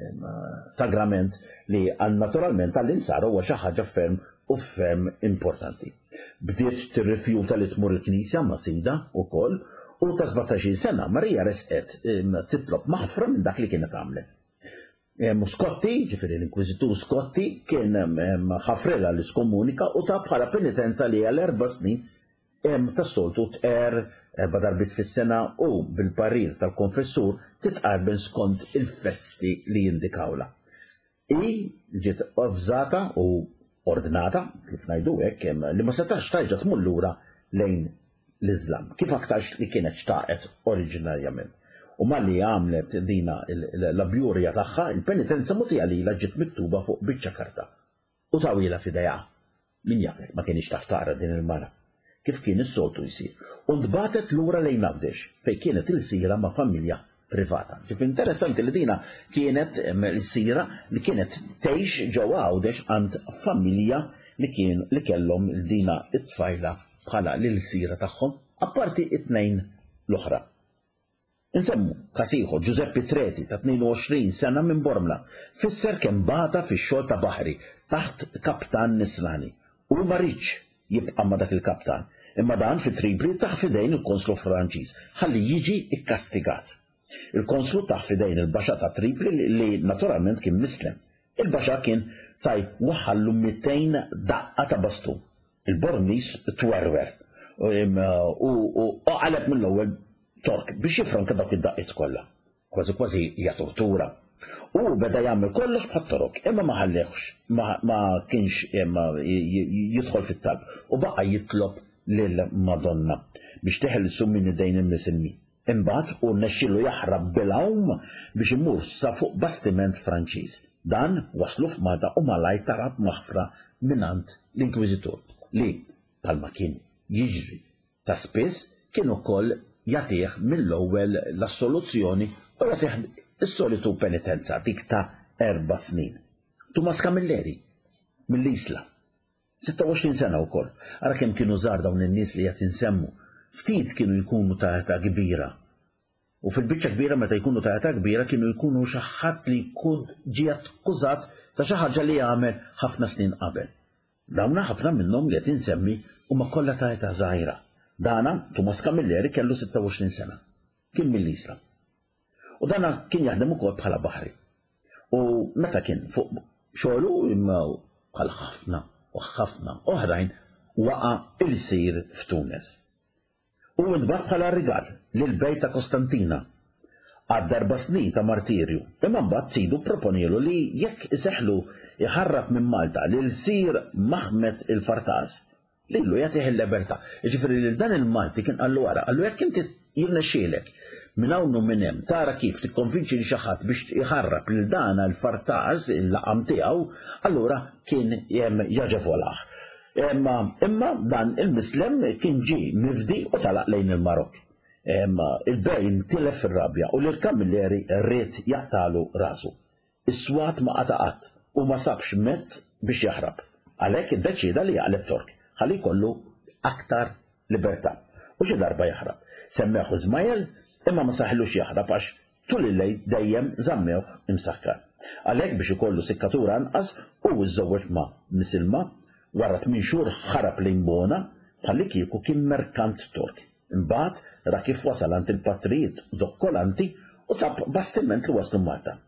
S2: sagrament li naturalment għall-Insara huwa xi ħaġa ferm u ferm importanti. Bdiet tirrifjuta li tmur il-knisja ma' sida wkoll u ta' sbatax-il sena Marija resqet titlob maħfra minn dak li kienet għamlet. Scotti, ġifieri l-Inkwiżitur Scotti, kien ħafrilha l-iskomunika u ta' bħala penitenza li għal erba' snin tas-soltu tqer erba' darbiet fis-sena u bil-parir tal-konfessur titqarben skont il-festi li jindikawla. I ġiet avżata u ordnata, kif ngħidu hekk, li ma setax tarġa' tmur lura lejn l-Iżlam, kif aktarx li kienet xtaqet oriġinarjament. U malli għamlet dina l-abjurja tagħha, il-penitenza mutija lilha ġiet miktuba fuq biċċa karta u tawila f'idejha. Min jaf ma kienx taf taqra din il-mara, kif kien is-soltu jsir. U ntbatet lura lejn Għawdex fejn kienet il-sira ma' familja privata. Ġif interessanti li dina kienet l-sira li kienet tgħix ġewwa Għawdex għand familja li kien li kellhom dina it-tfajla bħala l-sira tagħhom, apparti it-tnejn l-oħra. Insemmu każ ieħor, Giuseppe Treti ta' tnejn u għoxrin sena minn Bormla, fisser kemm bata fix-xogħol ta' baħri taħt kaptan Nisrani u ma rridx jibqa' ma' dak il-kaptan, imma dan fi Tripli taħ fidejn il-konslu Franċiż ħalli jiġi ikkastigat. Il-konslu taħ fidejn il-baxà ta' Tripli li naturalment kien mislem. Il-baxà kien saj waħħallu mitejn daqqa ta' bastun. Il-Bormlis twerwer u qaleb mill-ewwel Tork biex jifranka dawk id-daqqiet kollha. Kważi kważi hija tortura. U beda jagħmel kollox bħat-Torok, imma ma ħallehx, ma kienx jidħol fit-talb u baqa' jitlob lil Madonna biex teħelsu minn idejn il-Misilmin. Imbagħad u rnexxielu jaħrab bil-għawm biex imur sa fuq bastiment Franċiż. Dan waslu f'Malta u malajr talab maħfra mingħand l-Inkwiżitur li bħalma kien jiġri ta' spiss kien ukoll jagħtih mill-ewwel l-assoluzzjoni u jagħtih is-solitu penitenza dik ta' erba' snin. Tumas Camilleri mill-Isla, sitta u għoxrin sena wkoll. Ara kemm kienu żgħar dawn in-nies li qed insemmu. Ftit kienu jkunu ta' età kbira. U fil-biċċa kbira meta jkunu ta' età kbira kienu jkunu xi ħadd li jkun ġie akkużat ta' xi ħaġa li għamel ħafna snin qabel. Dawna ħafna minnhom li qed insemmi huma kollha ta' età żgħira. Dana Tumas Camilleri kellu sitta u għoxrin sena. Kien mill-Isla. U dana kien jaħdem ukoll bħala baħri. U meta kien fuq xogħlu imma bħal ħafna u ħafna oħrajn waqa' il-sir f'Tunis. U intbagħat bħala rigal lil bejt ta' Kostantina għad darba snin ta' martirju. Imma mbagħad sidu proponielu li jekk iseħlu iħarrab minn Malta lil sir Maħmed il-Fartas, lilu jagħtih il-libertà. Jiġifieri lil dan il-Malti kien qallu wara, qallu jekk inti jirnexxielek minn hawn u minn hemm tara kif tikkonvinċi lil xi ħadd biex iħarrab lil dan il-Fartas il-laqam tiegħu, allura kien jaġevolah. Imma, imma dan il-mislem kien ġie mifdi u talaq lejn il-Marokk. Imma il-bej intilef fir-rabja u lil Camilleri rrid jaqtalu rasu. Is-swat ma qata' qatt u ma sabx mezz biex jaħrab. Għalhekk iddeċieda li jaqleb Tork ħalli jkollu aktar libertà u xi darba jaħrab. Semmeħu Ismael imma ma saħlux jaħrab għax tul il-lejl dejjem żammewh imsakkar. Għalhekk biex ikollu sikkatura anqas u żżewweġ ma' Misilma. Wara tmien xhur ħarab lejn Bona bħalli kieku kien merkant Tork. Imbagħad ra kif wasal għand il-patrijiet zokkolanti u sab bastiment li waslu Malta.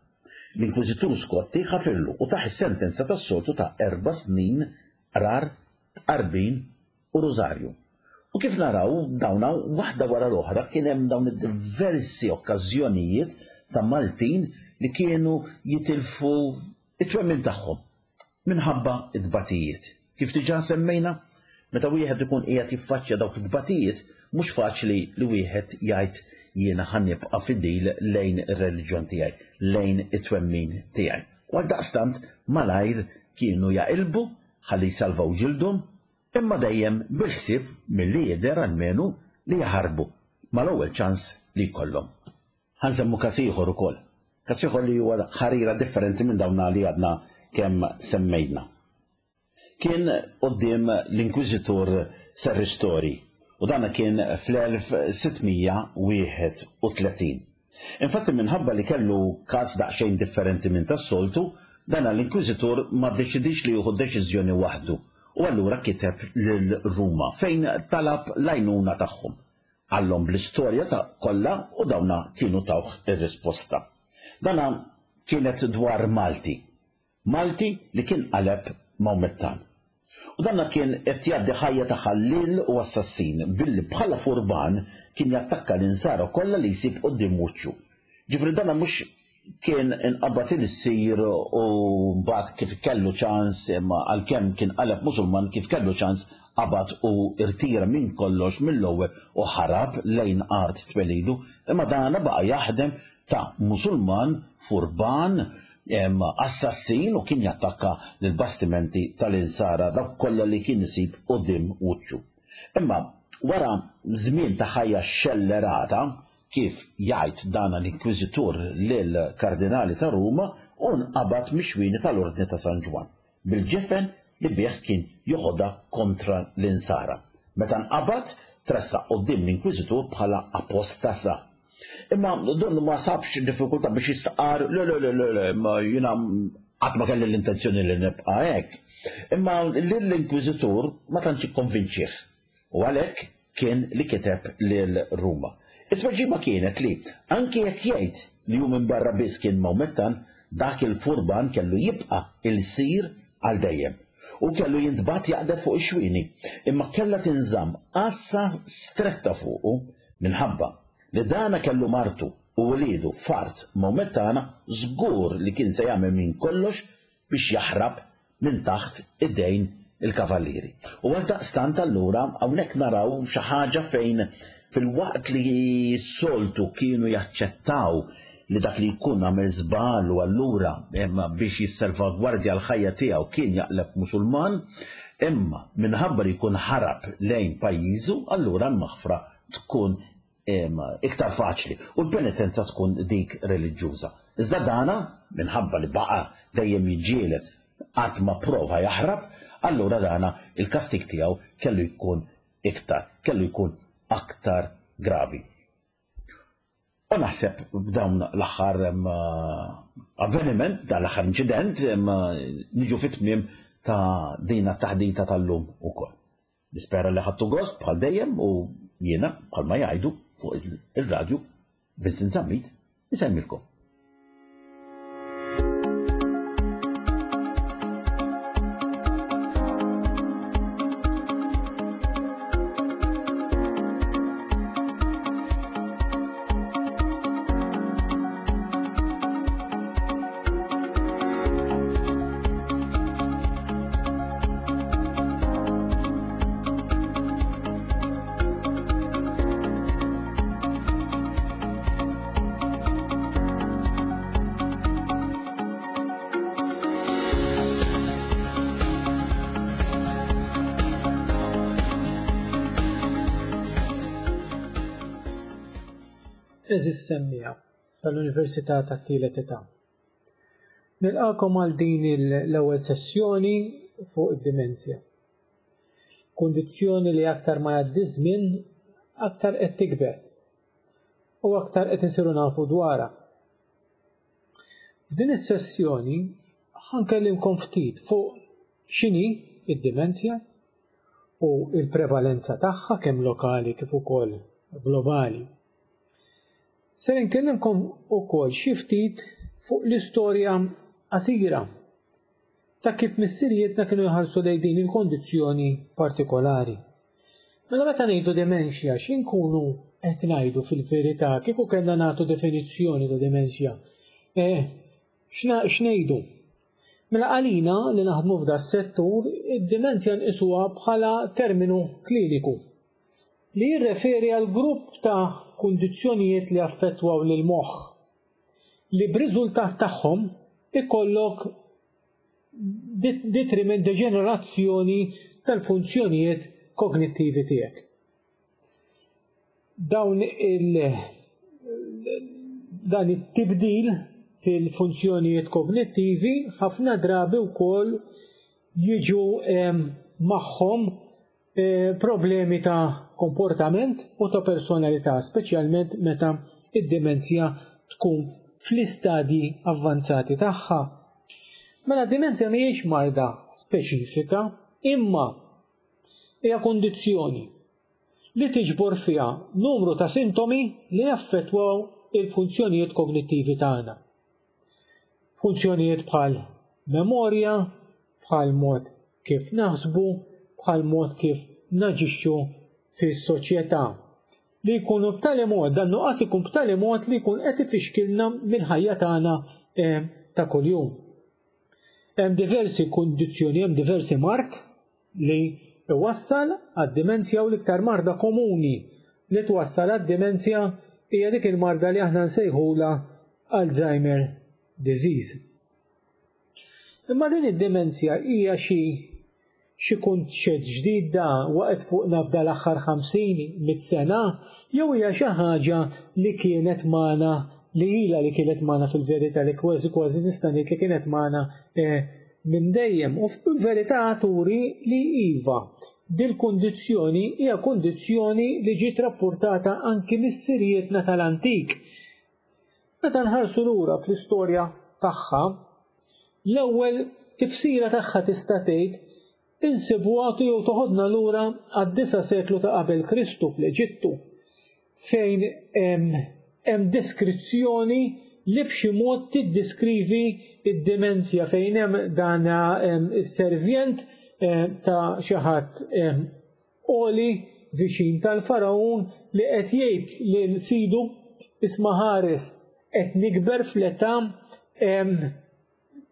S2: L-Inkwiżitur Scotti ħafirlu u taħ is-sentenza tas-soltu ta' erba' snin qrar, tqarbin u rużarju. U kif naraw dawna waħda wara l-oħra kien hemm dawn id-diversi okkażjonijiet ta' Maltin li kienu jitilfu it-twemmin tagħhom minħabba t-tbatijiet. Kif diġà semmejna, meta wieħed ikun qiegħed jiffaċċja dawk it-tbatijiet, mhux faċli li wieħed jgħid jiena ħa nibqa' fidil lejn ir-reliġjon tiegħi, lejn it-twemmin tiegħi. U għaldaqstant malajr kienu jaqilbu ħalli jsalvaw ġildhom, imma dejjem bil-ħsieb milli jidher almenu li jaħarbu mal-ewwel ċans li jkollhom. Ħa nsemmu każ ieħor ukoll, każ ieħor li huwa ħarira differenti minn dawn li għadna kemm semmejna. Kien quddiem l-Inkwiżitur Serristori u dana kien fl-elf sitt mija wieħed u tletin. Infatti minħabba li kellu każ daqsxejn differenti minn tas-soltu, dana l-Inkwiżitur ma ddeċidix li jieħu deċiżjoni waħdu u allura kiteb lil Ruma fejn talab l-għajnuna tagħhom. Qallhom bl-istorja ta' kollha u dawna kienu tawh ir-risposta. Dana kienet dwar Malti. Malti li kien qaleb Mawmettan. U danna kien qed jgħaddi ħajja ta' ħallil u assassin billi bħala furban kien jattakka l-insara kollha li jsib quddiem wiċċu. Ġifri danna mhux kien inqabad il-sir u mbagħad kif kellu ċans, imma għalkemm kien qaleb Musulman, kif kellu ċans qabad u irtira minn kollox mill-ewwel u ħarab lejn art twelidu, imma dana baqa' jaħdem ta' Musulman furban, em, assassin u kien jattakka lill-bastimenti tal-insara dawk kollha li kien isib quddiem wiċċu. Imma wara żmien ta' ħajja xellerata, kif jgħid dana l-Inkwiżitur lill-Kardinali ta' Ruma, u nqabad mix-xwieni tal-Ordni ta' San Ġwann bil-ġifen li bih kien joħodha kontra l-insara. Meta nqabad, tressaq quddiem l-Inkwiżitur bħala apostasa. Imma donnu ma sabx diffikultà biex jistqar, le, le, le, le, le, ma jiena qatt ma kelli l-intenzjoni li nibqa' hekk. Imma lill-Inkwiżitur ma tantx ikkonvinċih u għalhekk kien li kiteb lil Ruma. It-tweġiba kienet li anki jekk jgħid li hu minn barra biss kien Mawmettan, dak il-furban kellu jibqa' il-sir għal dejjem u kellu jintbagħat jaqdef fuq ix-xwieni, imma kellha tinżamm għassa stretta fuqu minħabba li dana kellu martu u wliedu f'art Mawmettana, żgur li kien se jagħmel minn kollox biex jaħrab minn taħt idejn il-kavallieri. U għaldaqstant allura hawnhekk naraw xi ħaġa fejn fil-waqt li s-soltu kienu jaċċettaw li dak li jkun għamel żball u allura imma biex jissalvagwardja l-ħajja tiegħu kien jaqleb Musulman, imma minħabba li jkun ħarab lejn pajjiżu, allura l-maħfra tkun imma iktar faċli u l-penitenza tkun dik reliġjuża. Iżda dana, minħabba li baqa' dejjem jiġġieled qatt ma prova jaħrab, allura dana il-kastik tiegħu kellu jkun iktar, kellu jkun aktar gravi. U naħseb b'dawn l-aħħar, em, avveniment, dan l-aħħar inċident, em, niġu fit-tmiem ta' din it-taħdita tal-lum ukoll. Nispera li ħadtu gost bħal dejjem u jiena bħalma jgħidu fuq il-radju Vincent Zammit isemmilkom.
S3: Għeżież semmiegħa tal-Università tat-Tielet Età. Nilqakom għal din l-ewwel sessjoni fuq id-dimensja. Kundizzjoni li aktar ma jgħaddi żmien aktar qed tikber u aktar qed insiru nafu dwarha. F'din is-sessjoni ħankellimkom ftit fuq x'inhi id-dimensja u l-prevalenza tagħha kemm lokali kif ukoll globali. Ser inkellimkom ukoll xi ftit fuq l-istorja qasira ta' kif missirijietna kienu jħarsu lejn din il-kondizzjoni partikolari. Mela meta ngħidu demenzja, x'inkunu qed ngħidu fil-verità kieku kellna nagħtu definizzjoni ta' demenzja? Eh, x'na-, x'ngħidu? Mela għalina li naħdmu f'da s-settur, id-demenzja nqisuha bħala terminu kliniku li jirreferi għal grupp ta' kundizzjonijiet li affettwaw lil moħħ li b'riżultat tagħhom ikollok dit-, detriment, deġenerazzjoni tal-funzjonijiet kognittivi tiegħek. Dawn il-, dan it-tibdil fil-funzjonijiet kognittivi ħafna drabi wkoll jiġu magħhom problemi ta' komportament u ta' personalità, speċjalment meta id-dimenzja tkun fl-istadji avvanzati tagħha. Mela d-dimenzja mhijiex marda speċifika, imma hija kundizzjoni li tiġbor fiha numru ta' sintomi li jaffettwaw il-funzjonijiet kognittivi tagħna. Funzjonijiet bħal memorja, bħal mod kif naħsbu, bħal mod kif naġixxu fis-soċjetà. Li jkunu b'tali mod, dan nuqqas ikun b'tali mod li jkun qed ifixkilna mill-ħajja tagħna ta' kuljum. Hemm diversi kundizzjoni, hemm diversi mard li iwassal għad-dimenzja, u l-iktar marda komuni li twassal għad-dimenzja hija dik il-marda li aħna nsejħula Alzheimer disease. Imma din id-dimenzja hija xi xi kunċett ġdid da waqgħet fuqna f'dal aħħar ħamsin mit sena, jew hija xi ħaġa li kienet magħna, li ilha li kienet magħna fil-verità, li kważi kważi nista' ngħid li kienet magħna minn dejjem. U fil-verità turi li iva, dil-kundizzjoni hija kundizzjoni li ġiet rapportata anki missirietna tal-antik. Meta nħarsu lura fl-istorja tagħha, l-ewwel tifsira tagħha tista' tgħid insibuha jew toħodna lura għad-disa' seklu ta' qabel Kristu fl-Eġittu, fejn hemm deskrizzjoni li b'xi mod tiddiskrivi id-dimenzja, fejn hemm dan is-servjent ta' xi ħadd għoli viċin tal-Faraun li qed jgħid lil sidu, isma' ħares, qed nikber fl-età,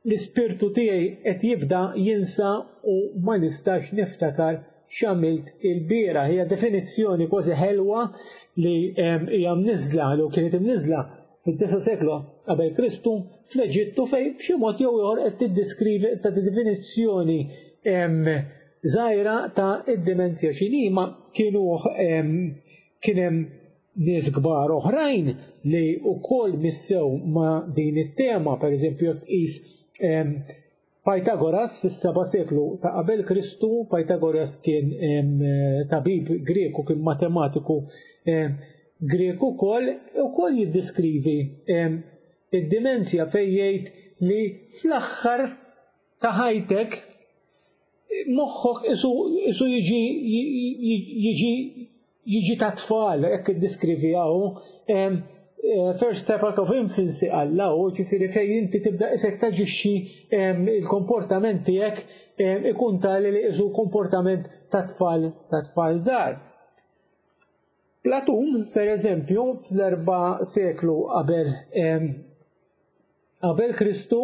S3: l-ispirtu tiegħi qed jibda jinsa u ma nistax niftakar x'għamilt il-bieraħ. Hija definizzjoni kważi ħelwa li hija mniżla, li kienet imniżla fid-disa' seklu qabel Kristu fl-Eġittu, fejn b'xi mod jew ieħor qed tiddiskrivi ta' definizzjoni żgħira ta' id-dimenzja x'inhi. Ma kienu kien hemm nies kbar oħrajn li wkoll missew ma' din it-tema, pereżempju tqis Pythagoras fis-seba' seklu ta' qabel Kristu. Pythagoras kien tabib Grek u kien matematiku Grek ukoll, ukoll jiddiskrivi id-dimenzja fejn jgħid li fl-aħħar ta' ħajtek moħħok isu jiġi jiġi jiġi ta' tfal, hekk iddiskriviha hu. First step of infancy għalla hu, ġifieri fejn inti tibda isek taġixxi, il-komportament tiegħek ikun tali li isu komportament ta' tfal ta' tfal żgħar. Platun, per eżempju, fl-erba' seklu qabel qabel Kristu,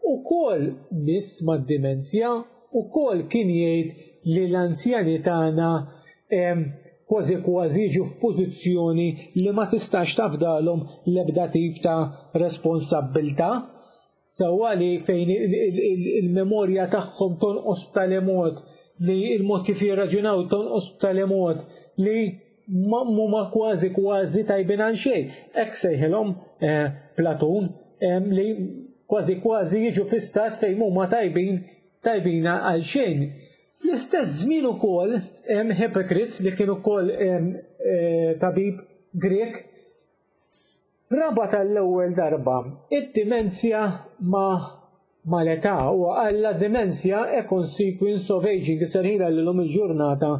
S3: ukoll miss mad-dimenzja, ukoll kien jgħid li l-anzjani tagħna kważi kważi jiġu f'pożizzjoni li ma tistax tafdalhom l-ebda tip ta' responsabbiltà, sewwa li fejn il-memorja tagħhom tonqos b'tali mod li il-mod kif jirraġunaw tonqos b'tali mod li huma kważi kważi tajbin għal xejn. Hekk sejħilhom Platun, li kważi kważi jiġu fi stat fejn huma tajbin tajbin għal xejn. Fl-istess żmien ukoll hemm Hippocrates, li kien ukoll tabib Grek, rabat għall-ewwel darba id-dimenzja ma' mal-età, u għalla dimenzja a consequence of aging, serħila li l-lum il-ġurnata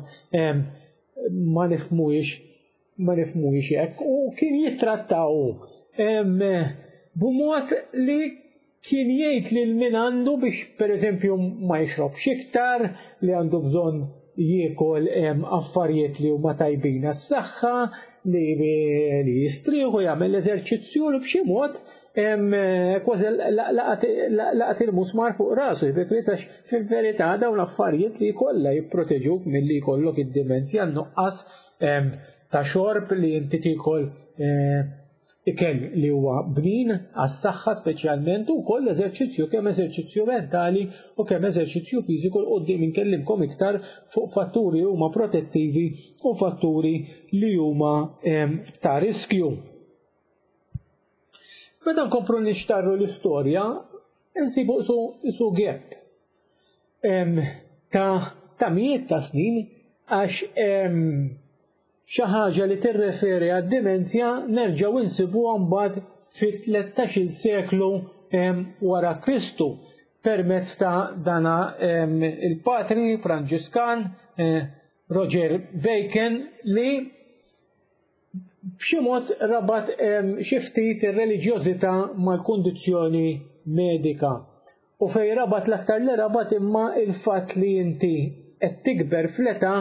S3: ma nifhmuhiex ma nifhmuhiex hekk, u kien jittrattaw b'mod li kien jgħid lil min għandu biex pereżempju ma jixrobx iktar, li għandu bżonn jiekol affarijiet li huma tajbin għas-saħħa, li jistrieħu, jagħmel l-eżerċizzju, li b'xi mod kważi laqat il-musmar fuq rasu, għax fil-verità dawn l-affarijiet li kollha jipproteġuk milli jkollok id-dimenzja, nuqqas ta' xorb, li inti tiekol ikel li huwa bnin għas-saħħa speċjalment, u wkoll eżerċizzju, kemm eżerċizzju mentali u kemm eżerċizzju fiżiku. L quddiem inkellimkom iktar fuq fatturi huma protettivi u fatturi li huma ta' riskju. Meta nkomplu nixtarru l-istorja, insibu isu gap. ta' ta' mijiet ta' snin għax xi ħaġa li tirreferi għad-dimenzja nerġgħu insibuha mbagħad fit-tlettax-il seklu wara Kristu permezz ta' dana il-patri Franġiskan Roger Bacon li b'xi mod rabat xi ftit ir-reliġjożità mal-kundizzjoni medika. U fej rabat l-aktar li rabat imma il-fatt li inti qed tikber fl-età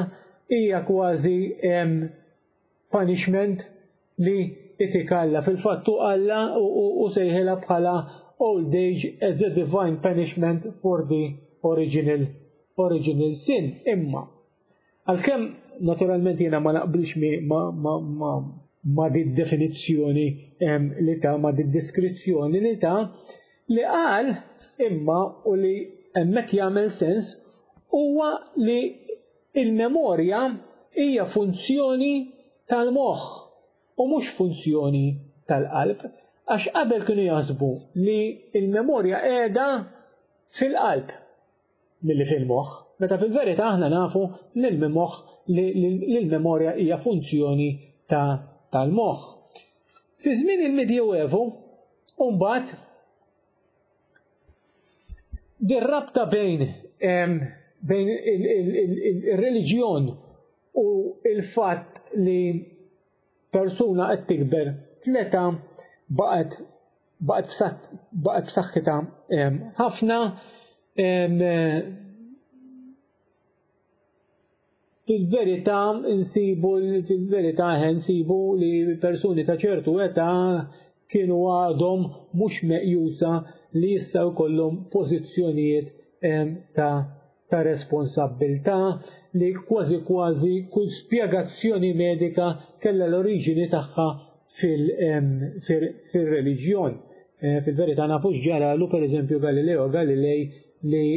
S3: hija kważi punishment li itik Alla. Fil-fatt hu Alla u sejħilha bħala old age as a divine punishment for the original, original sin. Imma, għalkemm naturalment jiena ma naqbilx ma, ma, ma, ma di definizzjoni li ta' ma di deskrizzjoni li ta' li qal imma u li hemmhekk jagħmel sens huwa li il-memorja hija funzjoni tal-moħħ u mhux funzjoni tal-qalb, għax qabel kienu jaħsbu li il-memorja qiegħda fil-qalb milli fil-moħħ, meta fil-verità aħna nafu li l-moħħ li l-memorja hija funzjoni ta' tal-moħħ. Fi żmien il-Medjuevu, mbagħad dir-rabta bejn bejn il-reliġjon u il-fatt li persuna qed tikber fl-età baqgħet baqgħet b'saħħitha ħafna. Fil-verità nsibu fil-verità nsibu li persuni ta' ċertu età kienu għadhom mhux meqjusa li jistgħu jkollhom pożizzjonijiet ta' ta' responsabbiltà, li kważi kważi kull spjegazzjoni medika kellha l-oriġini tagħha fil-reliġjon. Fil-verità nafu x'ġaralu pereżempju Galileo Galilei li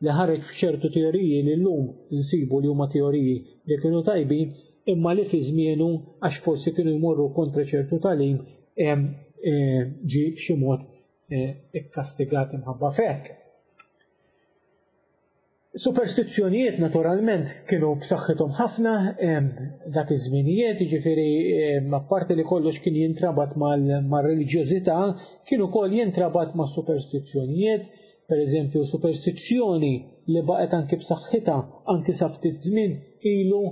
S3: li ħareġ f'ċertu teoriji li llum nsibu li huma teoriji li kienu tajbin, imma li fi żmienu għax forsi kienu jmorru kontra ċertu tagħlim ġie b'xi mod ikkastigat imħabba f'hekk. Superstizzjonijiet naturalment kienu b'saħħithom ħafna dak iż-żminijiet, jiġifieri apparti li kollox kien jintrabat mar-reliġjożità, kien ukoll jintrabat ma' superstizzjonijiet. Per eżempju, superstizzjoni li baqgħet anki b'saħħitha anki sa ftit żmien ilu,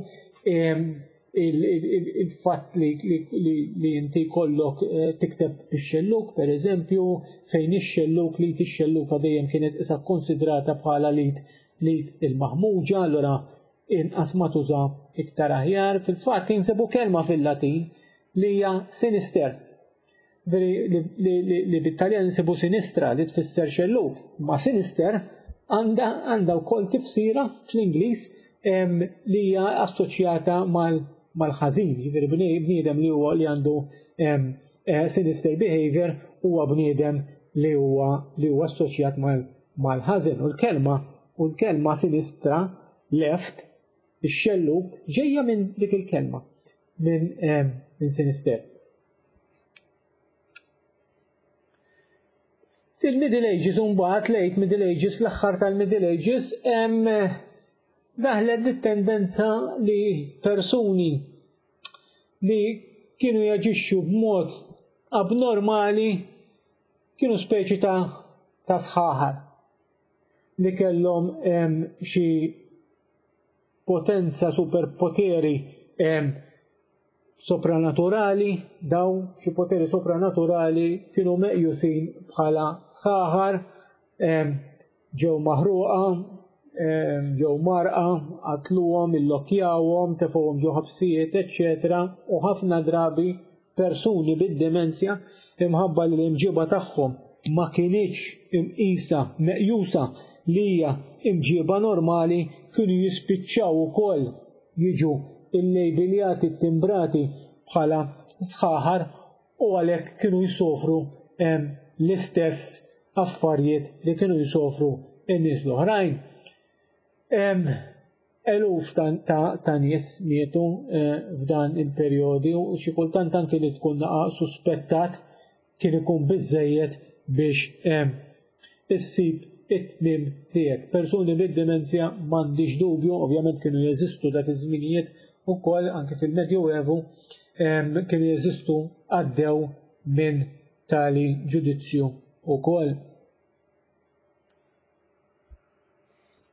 S3: il-fatt li inti jkollok tikteb bix-xelluk, per eżempju, fejn ix-xelluk li tix-xelluka dejjem kienet isa kkonsidrata bħala li li il-maħmuġa, allura inqas ma tuża iktar aħjar. Fil-fatt insibu kelma fil-Latin li hija sinister, li bit-Taljan nsibu sinistra li tfisser xelluk, ma sinister għandha għandha wkoll tifsira fl-Ingliż li hija assoċjata mal-ħażin, jiġifieri bniedem li huwa li għandu sinister behavior huwa bniedem li huwa li huwa assoċjat mal-ħażin. U l-kelma u l-kelma sinistra, left, ix-xelluk, ġejja minn dik il-kelma, minn minn sinister. Fil-Middle Ages, mbagħad late Middle Ages, fl-aħħar tal-Middle Ages, hemm daħlet dit-tendenza li persuni li kienu jaġixxu b'mod abnormali kienu speċi ta' ta' sħaħar li kellhom xi potenza, superpoteri sopranaturali. Daw xi poteri sopranaturali kienu meqjusin bħala sħaħar, ġew maħruqa, ġew marqa, qatluhom, illokjawhom, tefgħuhom ġo ħabsijiet, eċċetera. U ħafna drabi persuni bid-demenzja imħabba li l-imġiba tagħhom ma kinitx imqisa, meqjusa li hija imġiba normali, kienu jispiċċaw ukoll jiġu illejbiljati, ttimbrati bħala sħaħar, u għalhekk kienu jsofru l-istess affarijiet li kienu jsofru n-nies l-oħrajn. Eluf ta', ta, ta' nies mietu f'dan il-perjodi, u xi kultant anke li tkun naqa' suspettat kien ikun biżżejjed biex issib it-tmiem tiegħek. Persuni bid-dimensja m'għandix dubju, ovvjament kienu jeżistu dak iż-żminijiet ukoll anke fil-Medjuevu kienu jeżistu għaddew minn tali ġudizzju ukoll.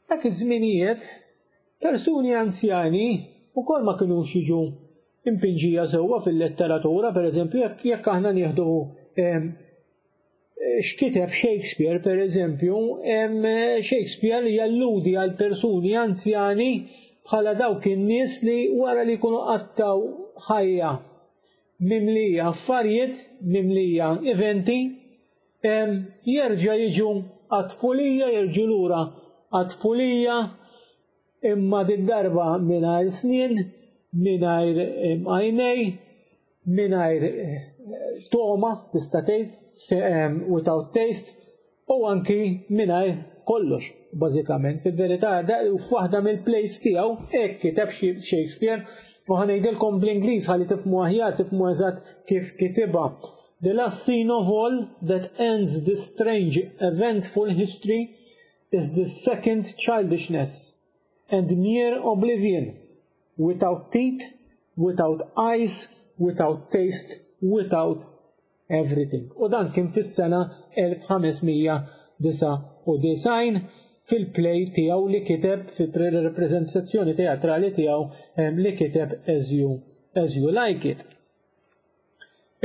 S3: Dak iż-żminijiet persuni anzjani ukoll ma kinux jiġu impinġija sewwa fil-letteratura, pereżempju jekk aħna nieħdu x'kiteb Shakespeare, pereżempju, Shakespeare jalludi għal persuni anzjani bħala dawk in-nies li wara li jkunu qattaw ħajja mimlija affarijiet, mimlija eventi, jerġa' jiġu għat-tfulija, jerġgħu lura għat-tfulija, imma din darba mingħajr snien, mingħajr għajnej, mingħajr togħma tista' tgħid, without taste, u anki mingħajr kollox, bażikament. Fil-verità, f'waħda mill-plays tiegħu hekk kiteb Shakespeare, u ħa ngħidilkom bl-Ingliż ħalli tifhmu aħjar, tifhmu eżatt kif kitibha. The last scene of all that ends this strange eventful history is the second childishness and mere oblivion, without teeth, without eyes, without taste, without everything. U dan kien fis-sena elf ħames mija disgħa u disgħin fil-play tiegħu li kiteb, fil-reprezentazzjoni teatrali tiegħu li kiteb As You, As You Like It.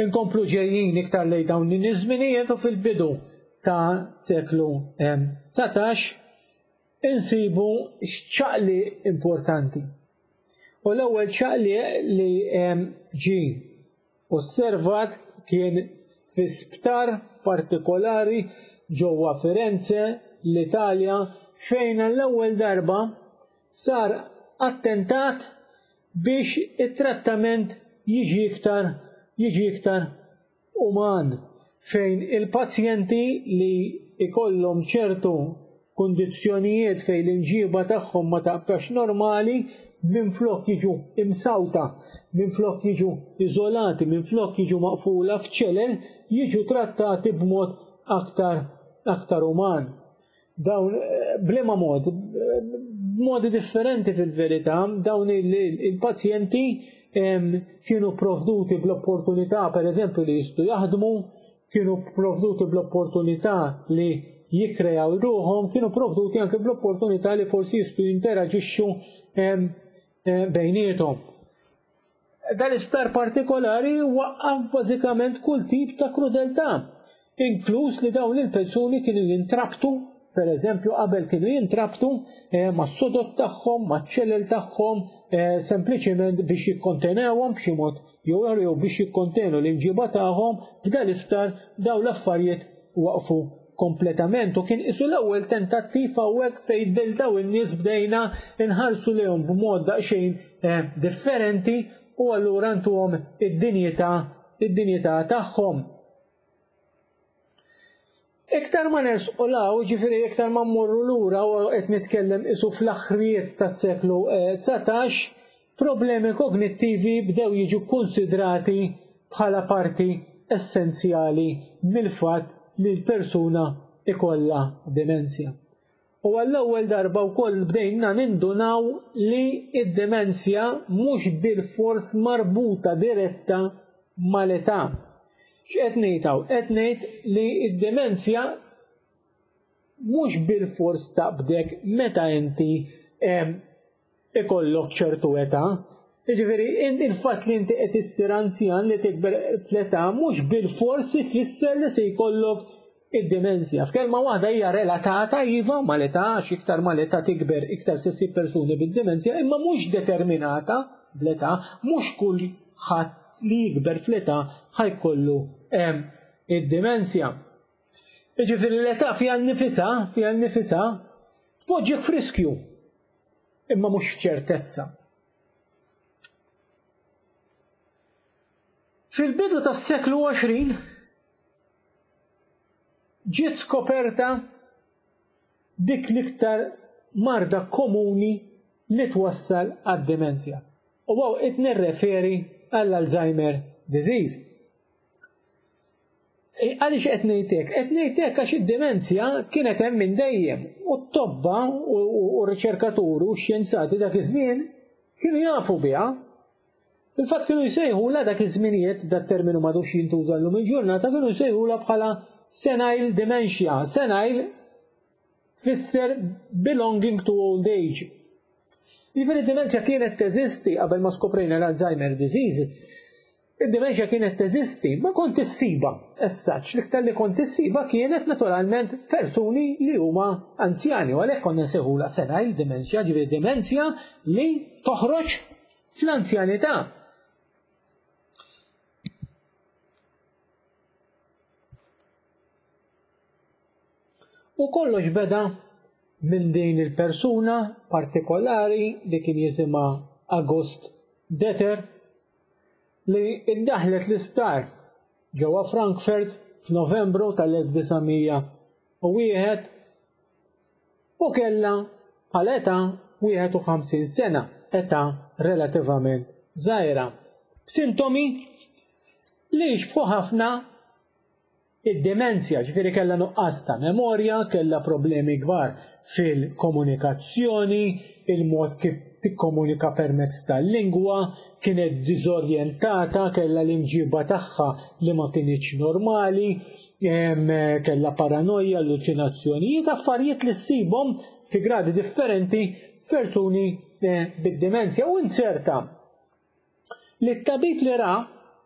S3: Inkomplu ġejjin iktar lejn dawn iż-żminijiet u fil-bidu ta' seklu dsatax insibu x'ċaqli importanti. U l-ewwel ċaqli li ġie osservat kien fi sptar partikolari ġewwa Firenze, l-Italja, fejn għall-ewwel darba sar attentat biex it-trattament jiġi iktar, jiġi iktar uman, fejn il-pazjenti li ikollhom ċertu kundizzjonijiet fejn l-inġiba tagħhom ma taqtax normali, minflok jiġu imsawta, minflok jiġu iżolati, minflok jiġu maqfula f'ċelel, jiġu trattati b'mod aktar, aktar uman. Dawn, b'liema mod, b'modi differenti fil-verità, dawn il-pazjenti kienu provduti bl-opportunità, per eżempju, li jistgħu jaħdmu, kienu provduti bl-opportunità li jikrejaw ruħhom, kienu provduti anke bl-opportunità li forsi jistgħu jinteraġixxu bejniethom. Dal-isptar partikolari waqqaf bażikament kull tip ta' krudeltà, inkluż li dawn il-persuni kienu jintrabtu, per eżempju qabel kienu jintrabtu mas-sodod tagħhom, maċ-ċelel tagħhom, sempliċement biex jikkontenewhom b'xi mod jew ieħor jew biex jikkontenu l-imġiba tagħhom. F'dan l-isptar dawn l-affarijiet waqfu kompletament u kien isu l-ewwel tentattiv hawnhekk fejn lil dawn in-nies bdejna nħarsu lejhom b'mod daqsxejn differenti u allura ntuhom id-dinjità, id-dinjità tagħhom. Iktar ma nersqu law, ġifieri iktar ma mmorru lura u qed nitkellem isu fl-aħħrijiet tas-seklu dsatax, problemi kognittivi bdew jiġu konsidrati bħala parti essenzjali mill-fatt li l-persuna ikollha demenzja. U għall-ewwel darba wkoll bdejna nindunaw li id-demenzja mhux bil-fors marbuta diretta mal-età. X'qed ngħid hawn? Qed ngħid li id-demenzja mhux bil-fors taqbdek meta inti ikollok ċertu età. Jiġifieri il-fatt li inti qed issir anzjan li tikber fl-età mhux bil-fors ifisser li se jkollok id-demenzja. F'kelma waħda hija relatata iva mal-età, għax iktar mal-età tikber iktar se ssib persuni bid-demenzja, imma mhux determinata bl-età, mhux kull ħadd li jikber fl-età ħajkollu id-demenzja. Jiġifieri l-età fiha nnifisha, fiha nnifisha tpoġġik f'riskju, imma mhux f'ċertezza. Fil-bidu tas-seklu għoxrin ġiet skoperta dik l-iktar marda komuni li twassal għad-demenzja. U għaw qed nirreferi għall-Alzheimer disease. Għaliex qed ngħid hekk? Qed ngħid hekk għax id-dimenzja kienet hemm minn dejjem u t-tobba u r-riċerkaturi u x-xjenzati dak iż-żmien kienu jafu biha. Fil-fatt kienu jsejħulha dak iż-żminijiet, dat terminu m'għadux jintuża llum il-ġurnata, kienu jsejħulha bħala senile dementia. Senile tfisser belonging to old age. Jiġifieri d-dimenzja kienet teżisti qabel ma skoprejna l-Alzheimer disease. Id-dimensja kienet teżisti, ma kont issiba, as such, l-iktar li kont issiba kienet naturalment persuni li huma anzjani, u għalhekk konna nsejħulha senile dementia, ġifieri dimenzja li toħroġ fl-anzjanità. U kollox beda minn din il-persuna partikolari li kien jisimha August Deter, li iddaħlet l-isptar ġewwa Frankfurt f'Novembru tal-elf disa' mija u wieħed u kellha bħala età wieħed u ħamsin sena, età relativament żgħira, b'sintomi li jixbħu ħafna id-demenzja, ġifieri kellha nuqqas ta' memorja, kellha problemi kbar fil-komunikazzjoni, il-mod kif tikkomunika permezz tal-lingwa, kienet diżorjentata, kellha l-imġiba tagħha li ma kinitx normali, em, kellha paranoja, alluċinazzjonijiet, affarijiet li ssibhom fi gradi differenti f'persuni, eh, bid-demenzja. U inserta li t-tabib li ra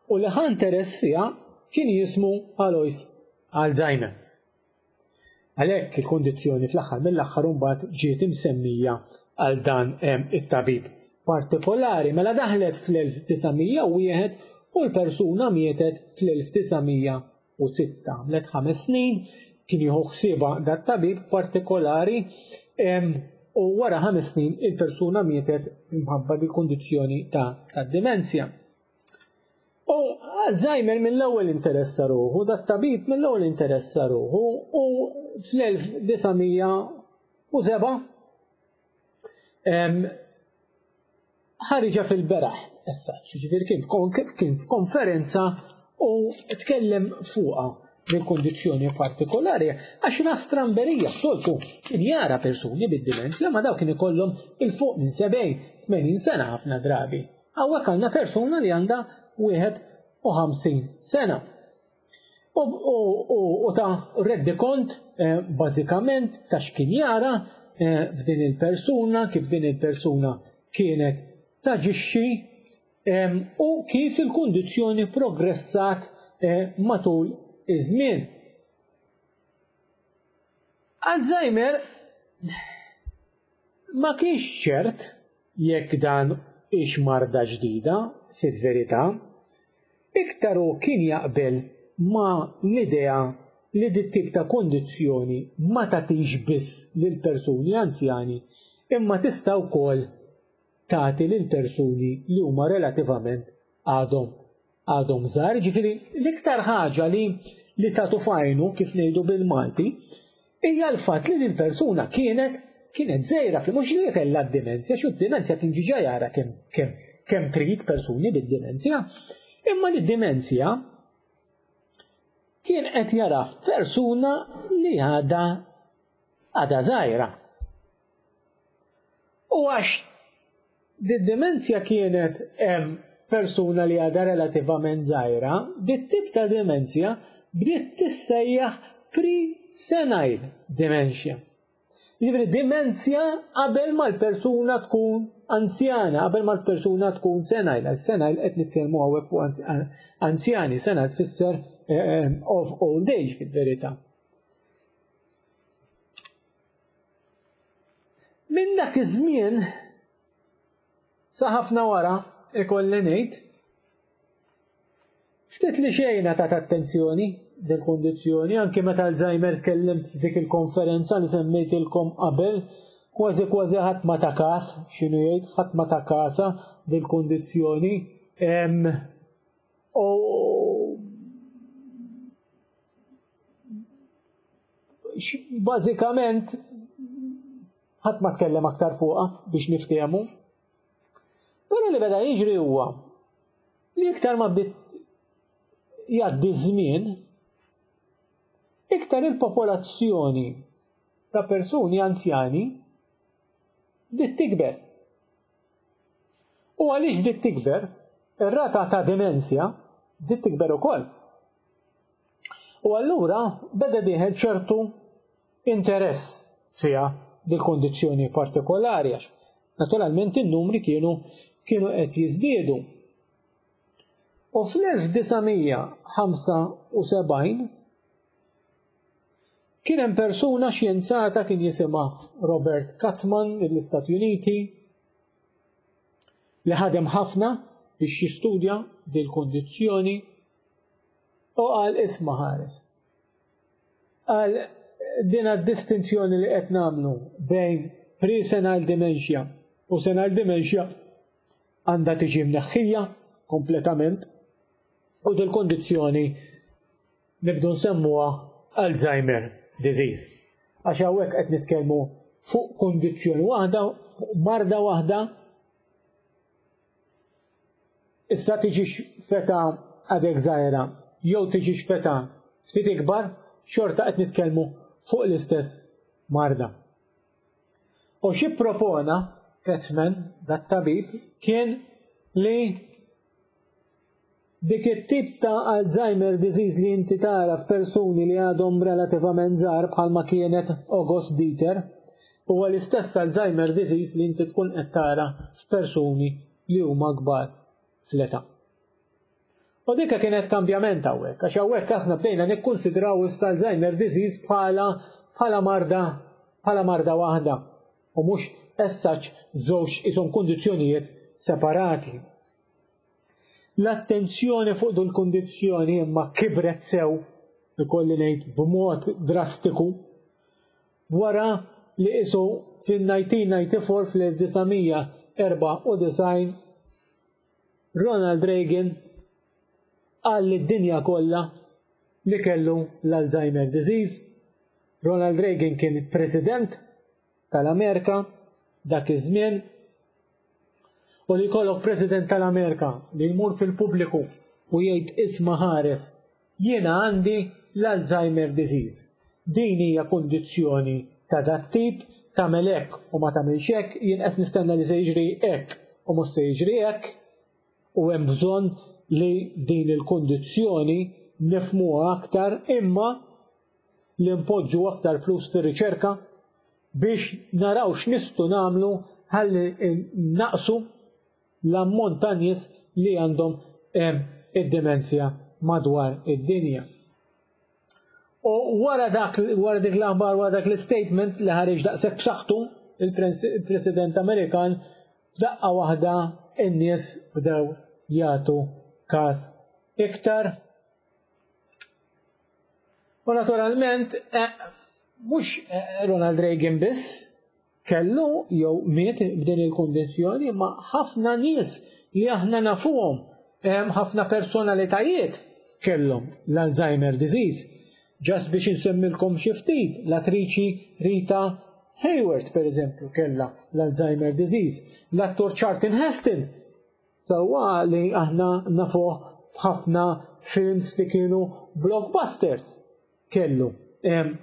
S3: u li ħa interess fiha kien jismu Alois Alzheimer. Għalhekk il-kondizzjoni fl-aħħar mill-aħħar imbagħad ġiet imsemmija għal dan, em, it-tabib partikolari. Mela daħlet fl-elf disa' mija u wieħed u l-persuna mietet fl-elf disa' mija u sitta. Għamlet ħames snin kien jieħu ħsiebha dat-tabib partikolari, em, u wara ħames snin il-persuna mietet minħabba dil-kondizzjoni ta' tad-dimenzja. U Alzheimer mill-ewwel interessa ruħu, dat-tabib mill-ewwel interessa ruħu, u fl-elf disa' mija u seba', em, ħariġa fil-beraħ, issa, ġifieri kien f'kon-, kien f'konferenza u tkellem fuqha bil-kondizzjoni partikolari, għax ra stramberija s-soltu kien jara persuni bid-dimenzja, ma daw kien ikollhom il-fuq minn sebgħin, tmenin sena ħafna drabi. Hawnhekk għandna persuna li għandha wieħed u ħamsin sena. U, u, u, u ta' reddi kont, eh, bażikament ta' x'kien jara, eh, f'din il-persuna, kif din il-persuna kienet taġixxi, em, u kif il-kundizzjoni progressat, eh, matul iż-żmien. Alzheimer ma kienx ċert jekk dan ix marda ġdida fil-verità, iktar hu kien jaqbel ma l-idea li dit tip ta' kondizzjoni ma tagħtix biss lil persuni anzjani, imma tista' wkoll tagħti lil persuni li huma relativament għadhom, għadhom żgħar. Ġifieri l-iktar ħaġa li, li tagħtu fajnu, kif ngħidu bil-Malti, hija l-fatt li din persuna kienet, kienet żgħira, fi mhux li kellha d-dimenzja, xi d-dimenzja kien ġiġa jara kemm, kemm, kemm trid persuni bid-dimenzja, imma li d-dimenzja kien qed jara f'persuna li għadha, għadha żgħira. U għax d-dimenzja kienet hemm persuna li għadha relativament żgħira, dit-tip ta' dimenzja bdiet tissejjaħ pre-senile dementia. Jiġifieri dimenzja qabel ma l-persuna tkun anzjana, qabel ma l-persuna tkun senile. Għal senile qed nitkellmu hawnhekk fuq anz-, anzjani, senile tfisser, eh, eh, of old age fil-verità. Minn dak iż-żmien sa ħafna wara ikolli ngħid, ftit li xejn ta' attenzjoni din kundizzjoni, anke meta Alzheimer tkellem f'dik il-konferenza li semmejtilkom qabel, kważi kważi ħadd ma ta' kas x'inhu jgħid, ħadd ma ta' kasa din kundizzjoni. Em, u bażikament ħadd ma tkellem aktar fuqha biex niftehmu. Però li beda jiġri huwa li iktar ma bdiet jgħaddi żmien, Iktar il-popolazzjoni ta' persuni anzjani bdiet tikber. U għaliex bdiet tikber, ir-rata ta' dimensja bdiet tikber ukoll. U allura beda dieħel ċertu interess fiha dil-kondizzjoni partikolari għax naturalment in-numri kienu kienu qed jiżdiedu. U fl-elf disa' mija ħamsa u sebgħin kien hemm persuna xjenzata kien jisimha Robert Katzman mill-Istati Uniti li ħadem ħafna biex jistudja dil-kondizzjoni u qal isma' ħares. Qal din distinzjoni li qed nagħmlu bejn pre-senile dementia u senile dementia għandha tiġi mneħħija kompletament u dil-kondizzjoni nibdu nsemmuha Alzheimer disease. Għax hawnhekk qed nitkellmu fuq kondizzjoni waħda, fuq marda waħda. Issa tiġix feta għadek żgħira jew tiġix feta ftit ikbar, xorta qed nitkellmu fuq l-istess marda. U xi propona Katzman, dat-tabib, kien li dik it-tip ta' Alzheimer disease li inti tara f'persuni li għadhom relativament żgħar bħalma kienet August Dieter, huwa l-istess Alzheimer disease li inti tkun qed tara f'persuni li huma kbar fl-età. U dikka kienet kambjament hawnhekk, għax hawnhekk aħna bdejna nikkunsidraw issa Alzheimer disease bħala, bħala marda, bħala marda waħda u mhux as such żewġ ishom kundizzjonijiet separati. L-attenzjoni fuq dil kundizzjoni imma kibret sew, ikolli ngħid b'mod drastiku, wara li isu fin-nineteen ninety-four fl-elf disa' mija erbgħa u disgħin Ronald Reagan qal lid-dinja kollha li kellu l-Alzheimer disease. Ronald Reagan kien president tal-Amerika dak iż-żmien, u li jkollok president tal-Amerika li jmur fil-pubbliku u jgħid isma' ħares, jiena għandi l-Alzheimer disease. Din hija kundizzjoni ta' dat tip, tagħmel hekk u ma tagħmilx hekk, jien qed nistenna li se jiġri hekk u mhux se jiġri hekk, u hemm bżonn li din il-kundizzjoni nifhmuha aktar, imma li npoġġu aktar flus fir-riċerka biex naraw x'nistgħu nagħmlu ħalli naqsu l-ammont ta' nies li għandhom, em, id-demenzja madwar id-dinja. U wara dak, wara dik l-aħbar, wara dak l-statement li ħareġ daqshekk b'saħħtu il-pres-, il-President Amerikan, f'daqqa waħda n-nies bdew jagħtu każ iktar. U naturalment, eh, mhux, eh, Ronald Reagan biss kellu jew miet b'din il-kundizzjoni, ma ħafna nies li aħna nafuhom, hemm ħafna personalitajiet kellhom l-Alzheimer disease. Just biex insemmilkom xi ftit, l-attriċi Rita Hayworth, per eżempju, kellha l-Alzheimer disease. L-attur Charlton Heston, sewwa li aħna nafuh b'ħafna films li kienu blockbusters, kellu, em,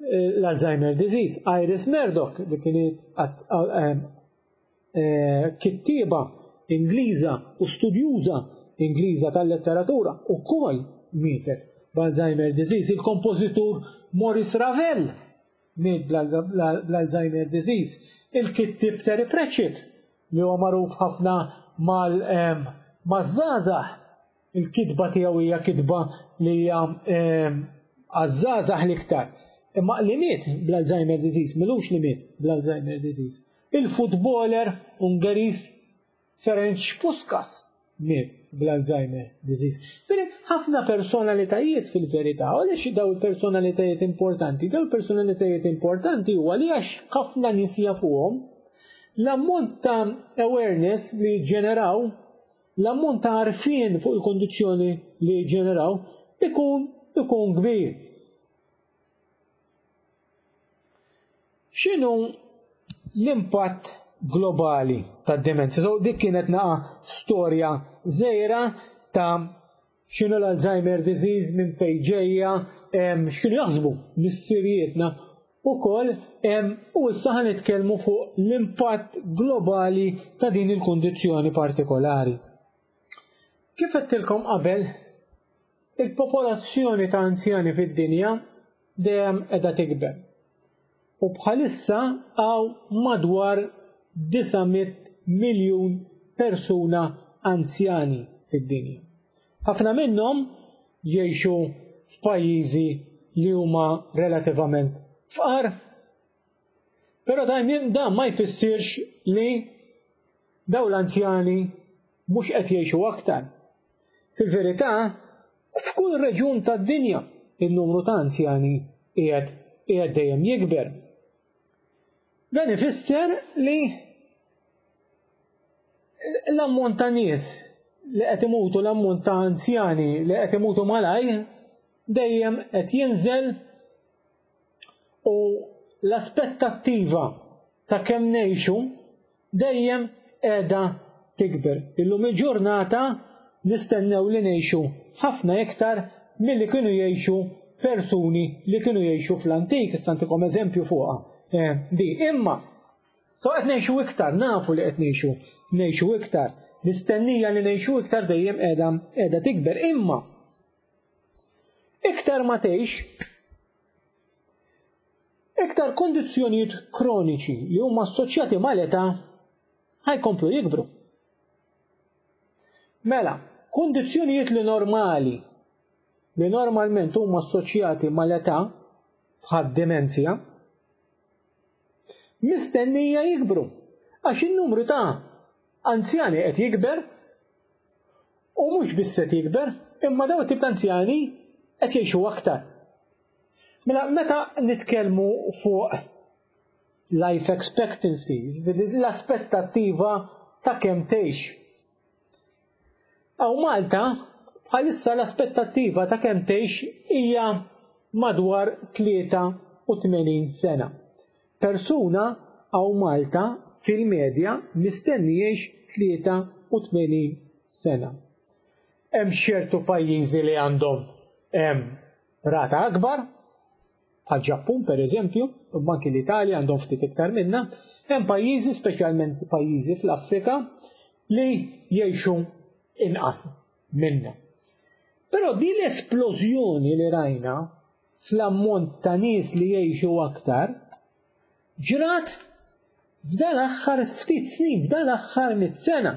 S3: l-Alzheimer disease. Iris Murdoch, li kienet at-, em, eh, kittieba Ingliża u studjuża Ingliża tal-letteratura, ukoll mietet b'Alzheimer disease. Il-kompożitur Maurice Ravel miet bl-Alzheimer disease. Il-kittieb Terry Pratchett, li huwa magħruf ħafna mal-, em, maż-żgħażagħ, il-kitba tiegħu hija kitba li hija, em, għaż-żgħażagħ l-iktar. Imma li miet bl-Alzheimer disease, milux li miet bl-Alzheimer disease. Il-futboler Ungeriż Ferenc Puskas miet bl-Alzheimer disease. Bene, ħafna personalitajiet fil-verità, u għaliex daw il-personalitajiet importanti? Daw il-personalitajiet importanti huwa li għax ħafna nies jafuhom, l-ammont ta' awareness li ġeneraw, l-ammont ta' għarfien fuq il-kondizzjoni li ġeneraw, ikun, ikun kbir. X'inhu l-impatt globali tad-demenzja? So, dik kienet naqa storja żgħira ta' X'inhu l-Alzheimer disease, minn fejn ġejja, x'kienu jaħsbu missirijietna ukoll, u issa ħa nitkellmu fuq l-impatt globali ta' din il-kundizzjoni partikolari. Kif għedtilkom qabel, il-popolazzjoni ta' anzjani fid-dinja dejjem qiegħda tikber. U bħalissa hawn madwar disa' mitt miljun persuna anzjani fid-dinja. Ħafna minnhom jgħixu f'pajjiżi li huma relativament fqar, però dan dan ma jfissirx li dawn l-anzjani mhux qed jgħixu aktar. Fil-verità, f'kull reġjun tad-dinja in-numru ta' anzjani qiegħed qiegħed dejjem jikber. Dan ifisser li l-ammont ta' nies li qed imutu, l-ammont ta' anzjani li qed imutu malajr dejjem qed jinżel, u l-aspettattiva ta' kemm ngħixu dejjem qiegħda tikber. Illum il-ġurnata nistennew li ngħixu ħafna iktar milli kienu jgħixu persuni li kienu jgħixu fl-antik. Issa ntikom eżempju fuqha di. Imma so qed ngħixu iktar, nafu li qed ngħixu ngħixu iktar. L-istennija li ngħixu iktar dejjem qiegħda qiegħda tikber. Imma iktar ma tgħix, iktar kondizzjonijiet kroniċi li huma assoċjati mal-età ħajkomplu jikbru. Mela, kondizzjonijiet li normali, li normalment huma assoċjati mal-età, bħad demenzja, mistennija jikbru, għax in-numru ta' anzjani qed jikber, u mhux biss qed jikber, imma dawn it-tip ta' anzjani qed jgħixu aktar. Mela, meta nitkellmu fuq life expectancy, l-aspettattiva ta' kemm tgħix. Hawn Malta, bħalissa l-aspettattiva ta' kemm tgħix hija madwar tlieta u tmenin sena. Persuna hawn Malta fil-medja mistenni jgħix tlieta u tmenin sena. Hemm ċertu pajjiżi li għandhom hemm rata akbar, bħal Ġappun per eżempju, u anki l-Italja għandhom ftit iktar minna. Hemm pajjiżi, speċjalment pajjiżi fl-Afrika, li jgħixu inqas minna. Però din l-esplożjoni li rajna fl-ammont ta' nies li jgħixu aktar ġrat f'dan l-aħħar ftit snin, f'dan l-aħħar mitt sena.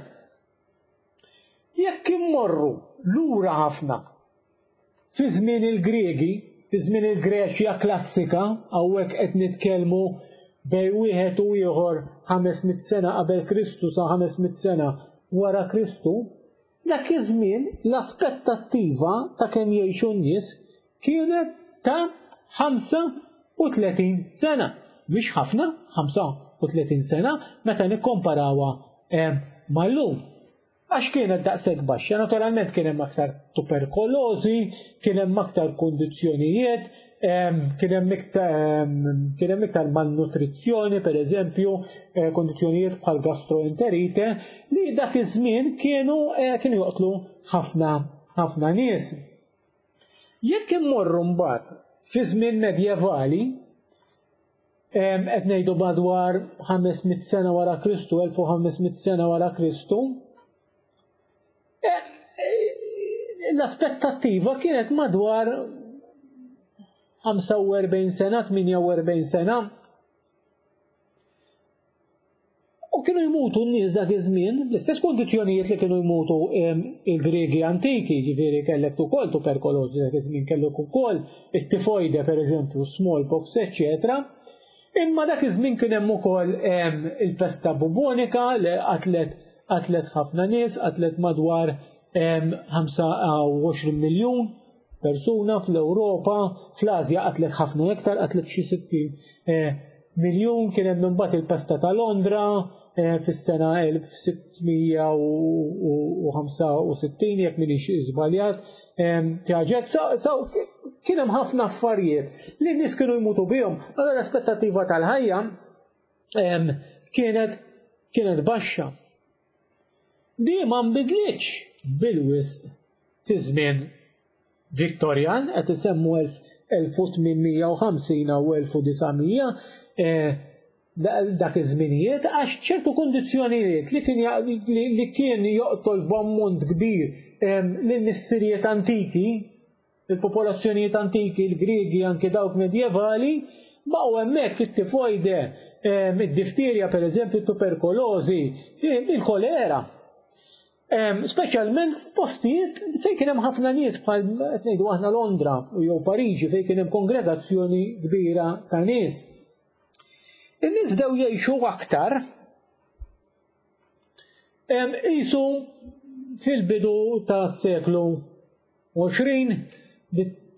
S3: Jekk immorru lura ħafna fi żmien il-Griegi, fi żmien il-Greċja klassika, hawnhekk qed nitkellmu bej wieħed u ieħor ħames mitt sena qabel Kristu sa ħames mitt sena wara Kristu, dak iż-żmien l-aspettattiva ta' kemm jgħixu n-nies kienet ta' ħamsa u tletin sena. Mhix ħafna, ħamsa u tletin sena, meta nikkomparawha, eh, mal-lum. Għax kienet daqshekk baxxa, naturalment kien hemm aktar tuberkulożi, kien hemm aktar kundizzjonijiet, em, kien hemm iktar, em, kien hemm iktar malnutrizzjoni, per eżempju, eh, kundizzjonijiet bħal gastroenterite, li dak iż-żmien kienu, eh, kienu joqtlu ħafna, ħafna nies. Jekk immorru mbagħad fi żmien medjevali, em, qed ngħidu madwar ħames mitt sena wara Kristu, elf u ħames mitt sena wara Kristu, l-aspettattiva kienet madwar ħamsa u erbgħin sena, tmienja u erbgħin sena. U kienu jmutu n-nies dak iż-żmien, l-istess kondizzjonijiet li kienu jmutu, em, il-Griegi antiki, ġifieri kellek ukoll tuberkulożi dak iż-żmien, kellek ukoll it-tifoide pereżempju, smallpox, eċċetera. Imma dak iż-żmien kien hemm ukoll, em, il-pesta bubonika li qatlet, qatlet ħafna nies, qatlet madwar, em, ħamsa u għoxrin miljun persuna fl-Ewropa, fl-Asja qatlet ħafna iktar, qatlet xi sittin, eh, miljun. Kien hemm imbagħad il-pesta ta' Londra, eh, fis-sena elf sittmija u ħamsa u sittin, jekk m'iniex żbaljat, em, tiegħek. So, so, kien hemm ħafna affarijiet li n-nies kienu jmutu bihom. Allora l-aspettattiva tal-ħajja, em, kienet, kienet baxxa. Di ma nbidlitx bil-wisq fi żmien Viktorjan, qed isemmu elf u tmien mija u ħamsin u elf u disa' mija, eh, dak iż-żminijiet, għax ċertu kundizzjonijiet li kien li kien joqtol f'ammont kbir lil missirijiet antiki, il-popolazzjonijiet antiki, il-Griegi, anke dawk medjevali, baqgħu hemmhekk: it-tifojde, id-difterja pereżempju, tuberkulożi, il-kolera. Speċjalment f'postijiet fejn kien hemm ħafna nies, bħal qed ngħidu aħna Londra jew Pariġi, fejn kien hemm kongregazzjoni kbira ta' nies. In-nies bdew jgħixu aktar qisu fil-bidu tas-seklu għoxrin,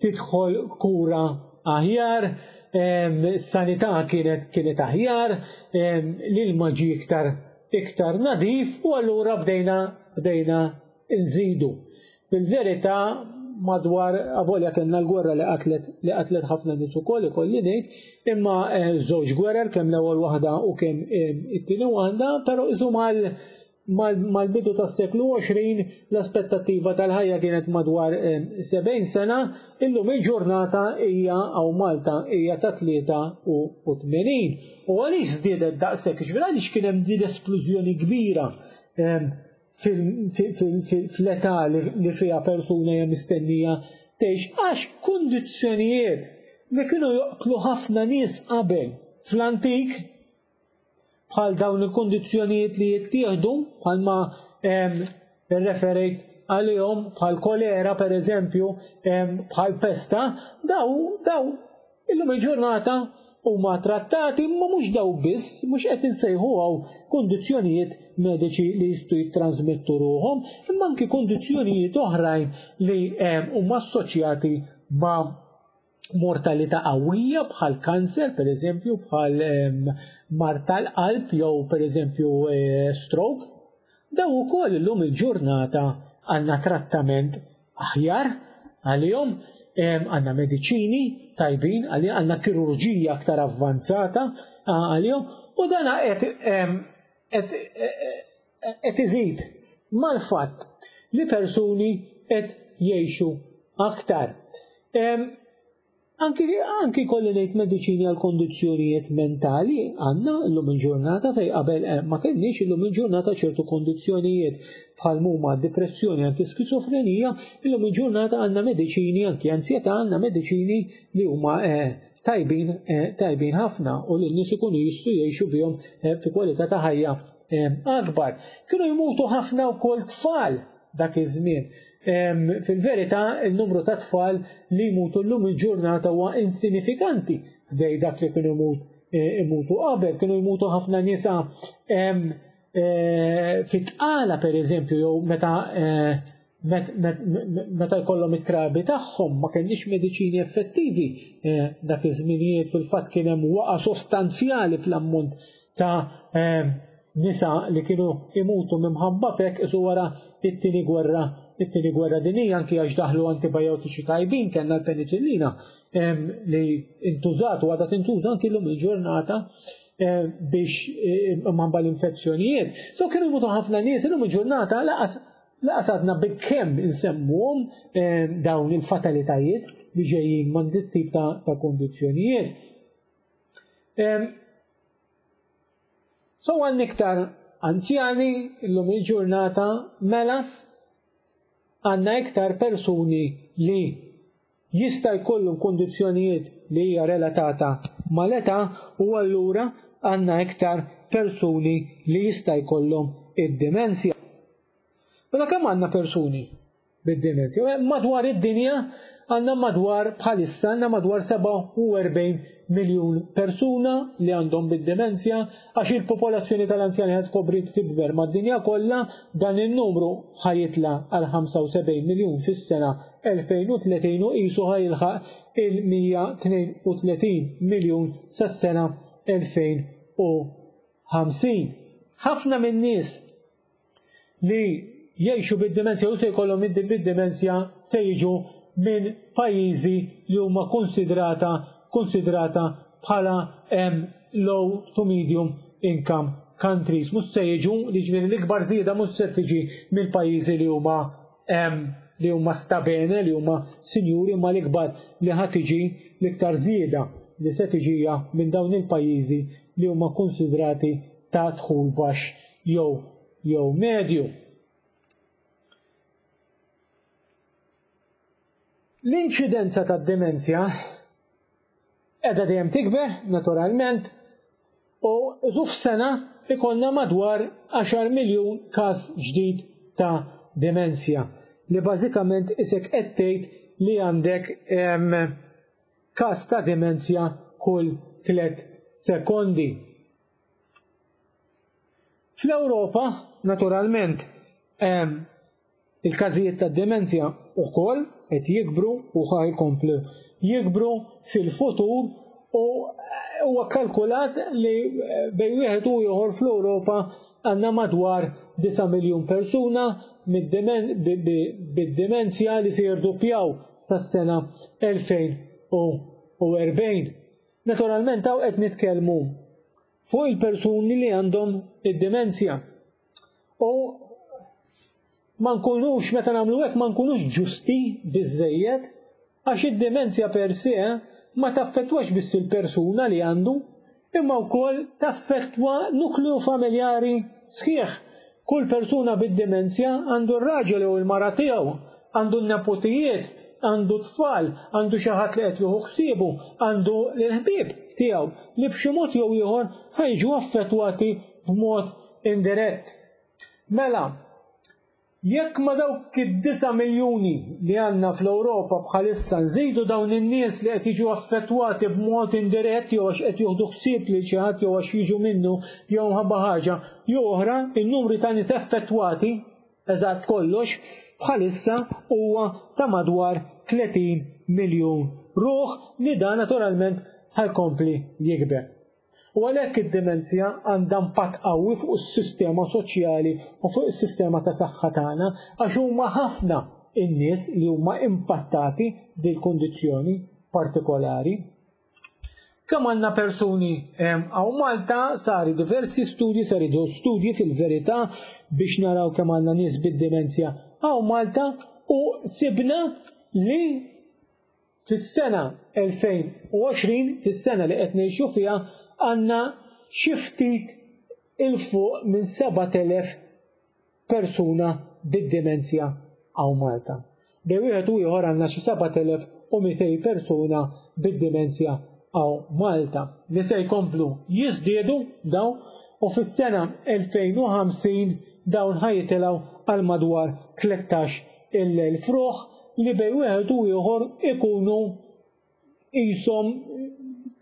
S3: tidħol kura aħjar, sanità kienet kienet aħjar, l-ilma ġie iktar iktar nadif u allura bdejna bdejna nżidu. Fil-verità, madwar, avolja kellna l-gwerra li qatlet li qatlet ħafna nies ukoll, ikolli ngħid, imma eh, żewġ gwerer, kemm l-ewwel waħda u kemm eh, it-tieni waħda, però isu mal mal-bidu tas-seklu għoxrin l-aspettattiva tal-ħajja kienet madwar sebgħin eh, sena, illum il-ġurnata hija hawn Malta hija ta' tlieta u tmenin. U għaliex żdiedet daqshekk? Ġifieri għaliex kien hemm din l-esplużjoni kbira fl-età li fiha persuna hija mistennija tgħix? Għax kundizzjonijiet li kienu joqtlu ħafna nies qabel fl-antik, bħal dawn il-kundizzjonijiet li jittieħdu, bħalma referejt għalihom, bħal kolera per eżempju, bħal pesta, daw daw illum il-ġurnata huma trattati, ma mhux daw biss, mhux qed insejħu hawn kundizzjonijiet mediċi li jistgħu jittransmettu ruhom, imma anki kundizzjonijiet oħrajn li huma assoċjati ma' mortalità qawwija, bħal kanser per eżempju, bħal mard tal-qalb jew per eżempju eh, stroke. Daw ukoll illum il-ġurnata għandna trattament aħjar għalihom, għandna mediċini tajbin, għandna kirurġija aktar avvanzata għalihom u dan qed qed iżid mal-fatt li persuni qed jgħixu aktar. Anki, anki kolli ngħid, mediċini għal kondizzjonijiet mentali għandna llum il-ġurnata fejn qabel eh, ma kellniex. Illum il-ġurnata ċertu kondizzjonijiet bħal huma depressjoni, anki skizofrenija, illum il-ġurnata għandna mediċini, anki ansjetà għandna mediċini li huma eh, tajbin eh, tajbin ħafna u li n-nies ikunu jistgħu jgħixu bihom fi kwalità ta' ħajja akbar. Kienu jmutu ħafna wkoll tfal dak iż-żmien. Fil-verità, il-numru ta' tfal li jmutu llum il-ġurnata huwa insinifikanti ħdejn dak li kienu e, imutu qabel. Kienu jmutu ħafna nisa e, fit-tqala per eżempju, jew meta e, meta jkollhom it-trabi tagħhom. Ma kellniex mediċini effettivi dak iż-żminijiet. Fil-fatt kien hemm waqa sostanzjali fl-ammont ta' nisa li kienu imutu minħabba f'hekk isu wara it-tieni gwerra it-tieni gwerra dinija, anki għax daħlu antibiotiċi tajbin, kellna l-penicillina li intużat u għadha tintuża anki llum il-ġurnata biex minħabba l-infezzjonijiet. So kienu jmutu ħafna nies, illum il-ġurnata lanqas lanqas għadna bikkemm insemmuhom dawn il-fatalitajiet li ġejjin minn dit tip ta', ta kondizzjonijiet. So għandna iktar anzjani illum il-ġurnata, mela għandna iktar persuni li jista' jkollhom kondizzjonijiet li hija relatata mal-età u allura għandna iktar persuni li jista' jkollhom id-dimensja. Mela kemm għandna persuni bid-dimensja? Madwar id-dinja għandna madwar, bħalissa għandna madwar sebgħa u erbgħin miljun persuna li għandhom bid-demenzja. Għax il-popolazzjoni tal-anzjani qed tkompli tikber mad-dinja kollha, dan il-numru ħa jitla' għal ħamsa u sebgħin miljun fis-sena elfejn u tletin u qisu ħa jilħaq il-mija u tnejn u tletin miljun sas-sena elfejn u ħamsin. Ħafna min-nies li jgħixu bid-dimensja u se jkollhom bid-dimensja se jiġu minn pajjiżi li huma konsidrata konsidrata bħala low to medium income countries. Mhux se jiġu li, ġifieri l-ikbar żieda mhux se tiġi mill-pajjiżi li huma li huma stabene, li huma sinjuri, ma l-ikbar li ħa tiġi, l-iktar żieda li se tiġija minn dawn il-pajjiżi li huma konsidrati ta' dħul baxx jew jew medju. L-inċidenza tad-demenzja qiegħda dejjem tikber, naturalment, u iżu f'sena ikollna madwar għaxar miljun każ ġdid ta' demenzja, li bażikament isek qed tgħid li għandek każ ta' demenzja kull tliet sekondi. Fl-Ewropa, naturalment, il-każijiet ta' demenzja wkoll qed jikbru u ħa jkomplu jikbru fil-futur, u huwa kalkulat li bejn wieħed u ieħor fl-Ewropa għandna madwar disa' miljun persuna bid-demenzja li se jirduppjaw sas-sena elfejn u erbgħin. Naturalment hawn qed nitkellmu fuq il-persuni li għandhom id-demenzja. U ma nkunux, meta nagħmlu hekk, ma nkunux ġusti biżżejjed, għax id-demenzja per se ma taffettwax biss il-persuna li għandu, imma wkoll taffettwa nukleu familjari sħiħ. Kull persuna bid-demenzja għandu r-raġel jew il-mara tiegħu, għandu n-nepotijiet, għandu tfal, għandu xi ħadd li qed jieħu ħsiebu, għandu l-ħbieb tiegħu li b'xi mod jew ieħor ħajġu affettwati b'mod indirett. Mela, jekk ma dawk id-disa' miljuni li għandna fl-Ewropa bħalissa nżidu dawn in-nies li qed jiġu affettwati b'mod indirett jew għax qed jieħdu ħsieb lil xi ħadd jew għax jiġu minnu jew mħabba ħaġa jew oħra, in-numri ta' nies affettwati eżatt kollox bħalissa huwa ta' madwar tletin miljun ruħ, li dan naturalment ħajkompli jikber. U għalhekk id-demenzja għandha impatt qawwi fuq is-sistema soċjali u fuq is-sistema ta' saħħa tagħna, għax huma ħafna in-nies li huma impattati dil-kundizzjoni partikolari. Kemm għandna persuni hawn Malta, sari diversi studji, sari żewġ studji fil-verità biex naraw kemm għandna nies bid-demenzja hawn Malta, u sibna li fis-sena elfejn u għoxrin, fis-sena li qed ngħixu fiha, għandna xi ftit il fuq minn sebat elef persuna bid-demenzja hawn Malta. Bejn wieħed u ieħor għandna xi sebat elef u mitej persuna bid-demenzja hawn Malta, li se jkomplu jiżdiedu dawn, u fis-sena elfejn u ħamsin dawn ħajtilgħu għal madwar tlettax il-elf ruħ, li bejn wieħed u ieħor ikunu qishom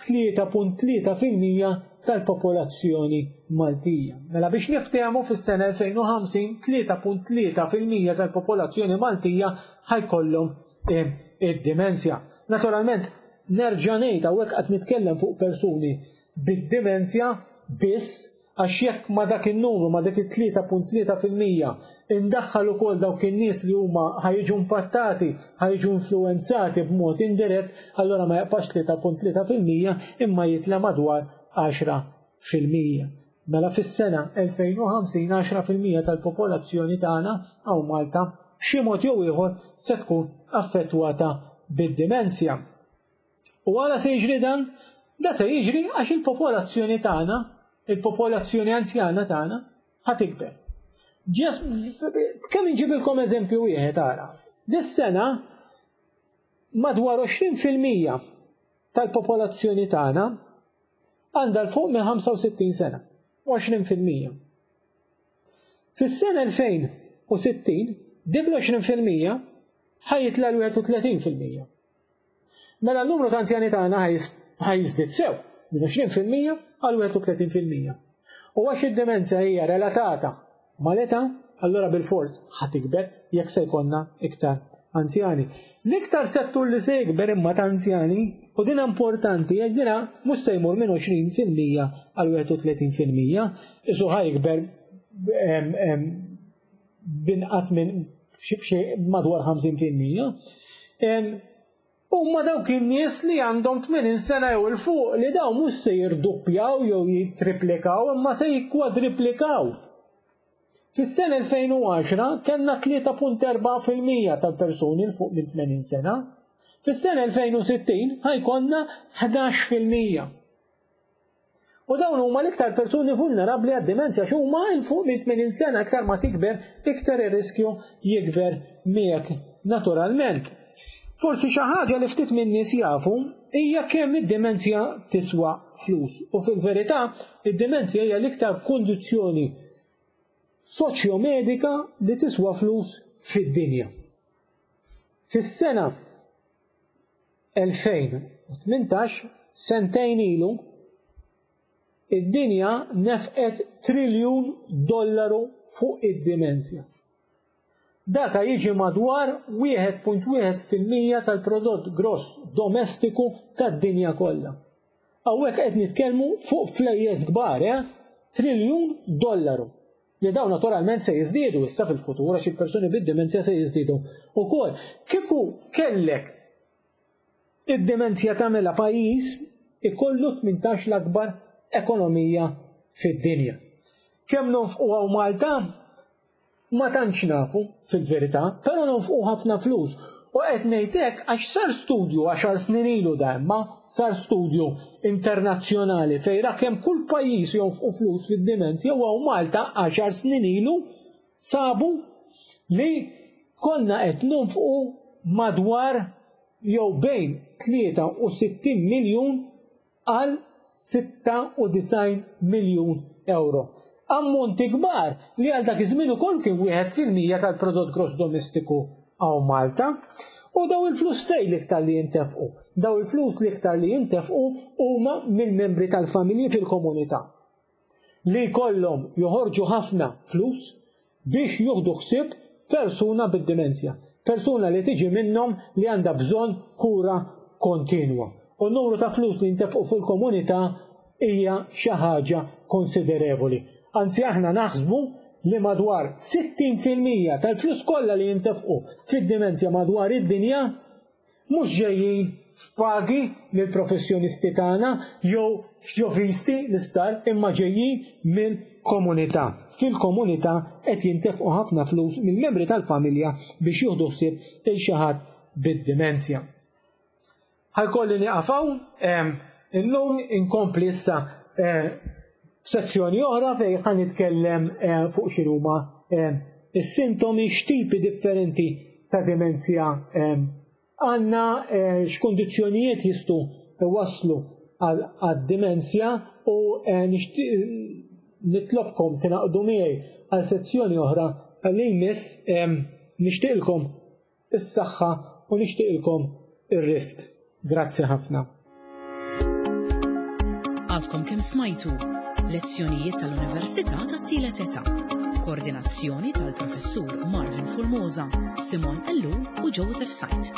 S3: tlieta punt tlieta fil-mija tal-popolazzjoni Maltija. Mela biex niftehmu, fis-sena elfejn u ħamsin tlieta punt tlieta fil-mija tal-popolazzjoni Maltija ħajkollhom id-demenzja. Naturalment, nerġa' ngħid hawnhekk qed nitkellem fuq persuni bid-demenzja biss, għax jekk ma dak in-numru, ma dik it-tlieta punt tlieta fil-mija, indaħħal ukoll dawk in-nies li huma ħajġu impattati, ħajġu influwenzati b'mod indirett, allura ma jaqpax tlieta punt tlieta fil-mija imma jitla' madwar għaxra fil-mija. Mela fis-sena elfejn u ħamsin għaxra fil-mija tal-popolazzjoni tagħna hawn Malta b'xi mod jew ieħor se tkun affettwata bid-demenzja. U għala se jiġri dan? Da se jiġri għax il-popolazzjoni tagħna, il-popolazzjoni anzjana tagħna ħa tikber. Kemm inġibilkom eżempju wieħed ara. Dis-sena madwar għoxrin fil-mija tal-popolazzjoni tagħna għandha l fuq minn ħamsa u sittin sena. għoxrin fil-mija. Fis-sena elfejn u sittin dik l-għoxrin fil-mija ħajjitla l-wieħed u tletin fil-mija. Mela n-numru ta' anzjani tagħna ħajżdied sew minn għoxrin fil-mija għal wieħed u tletin fil-mija. U għax id-demenzja hija relatata mal-età, allura bil-fors ħa tikber jekk se jkollna iktar anzjani. L-iktar settur li se jikber imma ta' anzjani, u din importanti, jekk dina mhux se jmur minn għoxrin fil-mija għal wieħed u tletin fil-mija, isu ħa jikber, em, em, binqas minn xi, xi madwar ħamsin fil-mija. Em, Huma dawk in-nies li għandhom tmenin sena jew il fuq, li dawn mhux se jirduppjaw jew jittriplikaw, imma se jikkwadriplikaw. Fis-sena elfejn u għaxra kellna tlieta punt erbgħa fil-mija tal-persuni 'l fuq minn tmenin sena. Fis-sena elfejn u sittin ħajkonna ħdax fil-mija. U dawn huma l-iktar persuni vulnerabbli għad-dimenzja għax huma 'l fuq minn tmenin sena, iktar ma tikber, iktar ir-riskju jikber miegħek naturalment. Forsi xi ħaġa li ftit minn nies jafu hija kemm id-dimenzja tiswa flus. U fil-verità, id-dimenzja hija l-iktar kundizzjoni soċjomedika li tiswa flus fid-dinja. Fis-sena elfejn u tmintax, sentejn ilu, id-dinja nefqet triljun dollaru fuq id-dimenzja. Daka jiġi madwar wieħed punt wieħed fil-mija tal-prodott gross domestiku tad-dinja kollha. Hawnhekk qed nitkellmu fuq flejjes kbar, eh? Triljun dollaru. Li dawn naturalment se jiżdiedu issa fil-futur għax il-persuni bid-dimenzja se jiżdiedu wkoll. Kieku kellek id-dimenzja tagħmilha pajjiż ikollu tmintax l-akbar ekonomija fid-dinja. Kemm nonfqu hawn Malta? Ma tantx nafu fil-verità, però nonfqu ħafna flus. U qed ngħid hekk għax sar studju għaxar snin ilu da imma sar studju internazzjonali fejn ra kemm kull pajjiż jonfqu flus fid-dimenzja u hawn Malta għaxar snin ilu sabu li konna qed nonfqu madwar jew bejn tlieta u sittin miljun għal sitta u disgħin miljun euro. Ammonti kbar li għal dak iż-żmien ukoll kien wieħed fil-mija tal-prodott gross domestiku hawn Malta. U daw il-flus fejn l-iktar li jintefqu? Daw il-flus l-iktar li jintefqu huma mill-membri tal-familji fil-komunità li jkollhom joħorġu ħafna flus biex juħdu ħsieb persuna bid-dimenzja, persuna li tiġi minnhom li għandha bżonn kura kontinwa. U n-numru ta' flus li jintefqu fil-komunità hija xi ħaġa konsiderevoli. Anzi aħna naħsbu li madwar sittin fil-mija tal-flus kollha li jintefqu fid-dimenzja madwar id-dinja mhux ġejjin f'pagi mill-professjonisti tagħna jew f'ġovisti l-isptar, imma ġejjin mill-komunità. Fil-komunità qed jintefqu ħafna flus mill-membri tal-familja biex jieħdu ħsieb il xi ħadd bid-dimenzja. Ħajkolli nieqaf hawn, ehm, illum inkompli issa, eh, f'sessjoni oħra fejn ħa nitkellem, eh, fuq x'inhuma, eh, is-sintomi, x'tipi differenti ta' dimenzja, eh, għandna, eh, x'kundizzjonijiet jistgħu waslu għad-dimenzja u, eh, nixtieq nitlobkom tingħaqdu miegħi għal sezzjoni oħra li jmiss, eh, nixtieqilkom is-saħħa u nixtieqilkom ir-risq. Grazzi ħafna.
S1: Għadkom kemm smajtu lezzjonijiet tal-Università tat-Tielet Età. Koordinazzjoni tal-Professur Marvin Formosa, Simon Ellul u Joseph Said.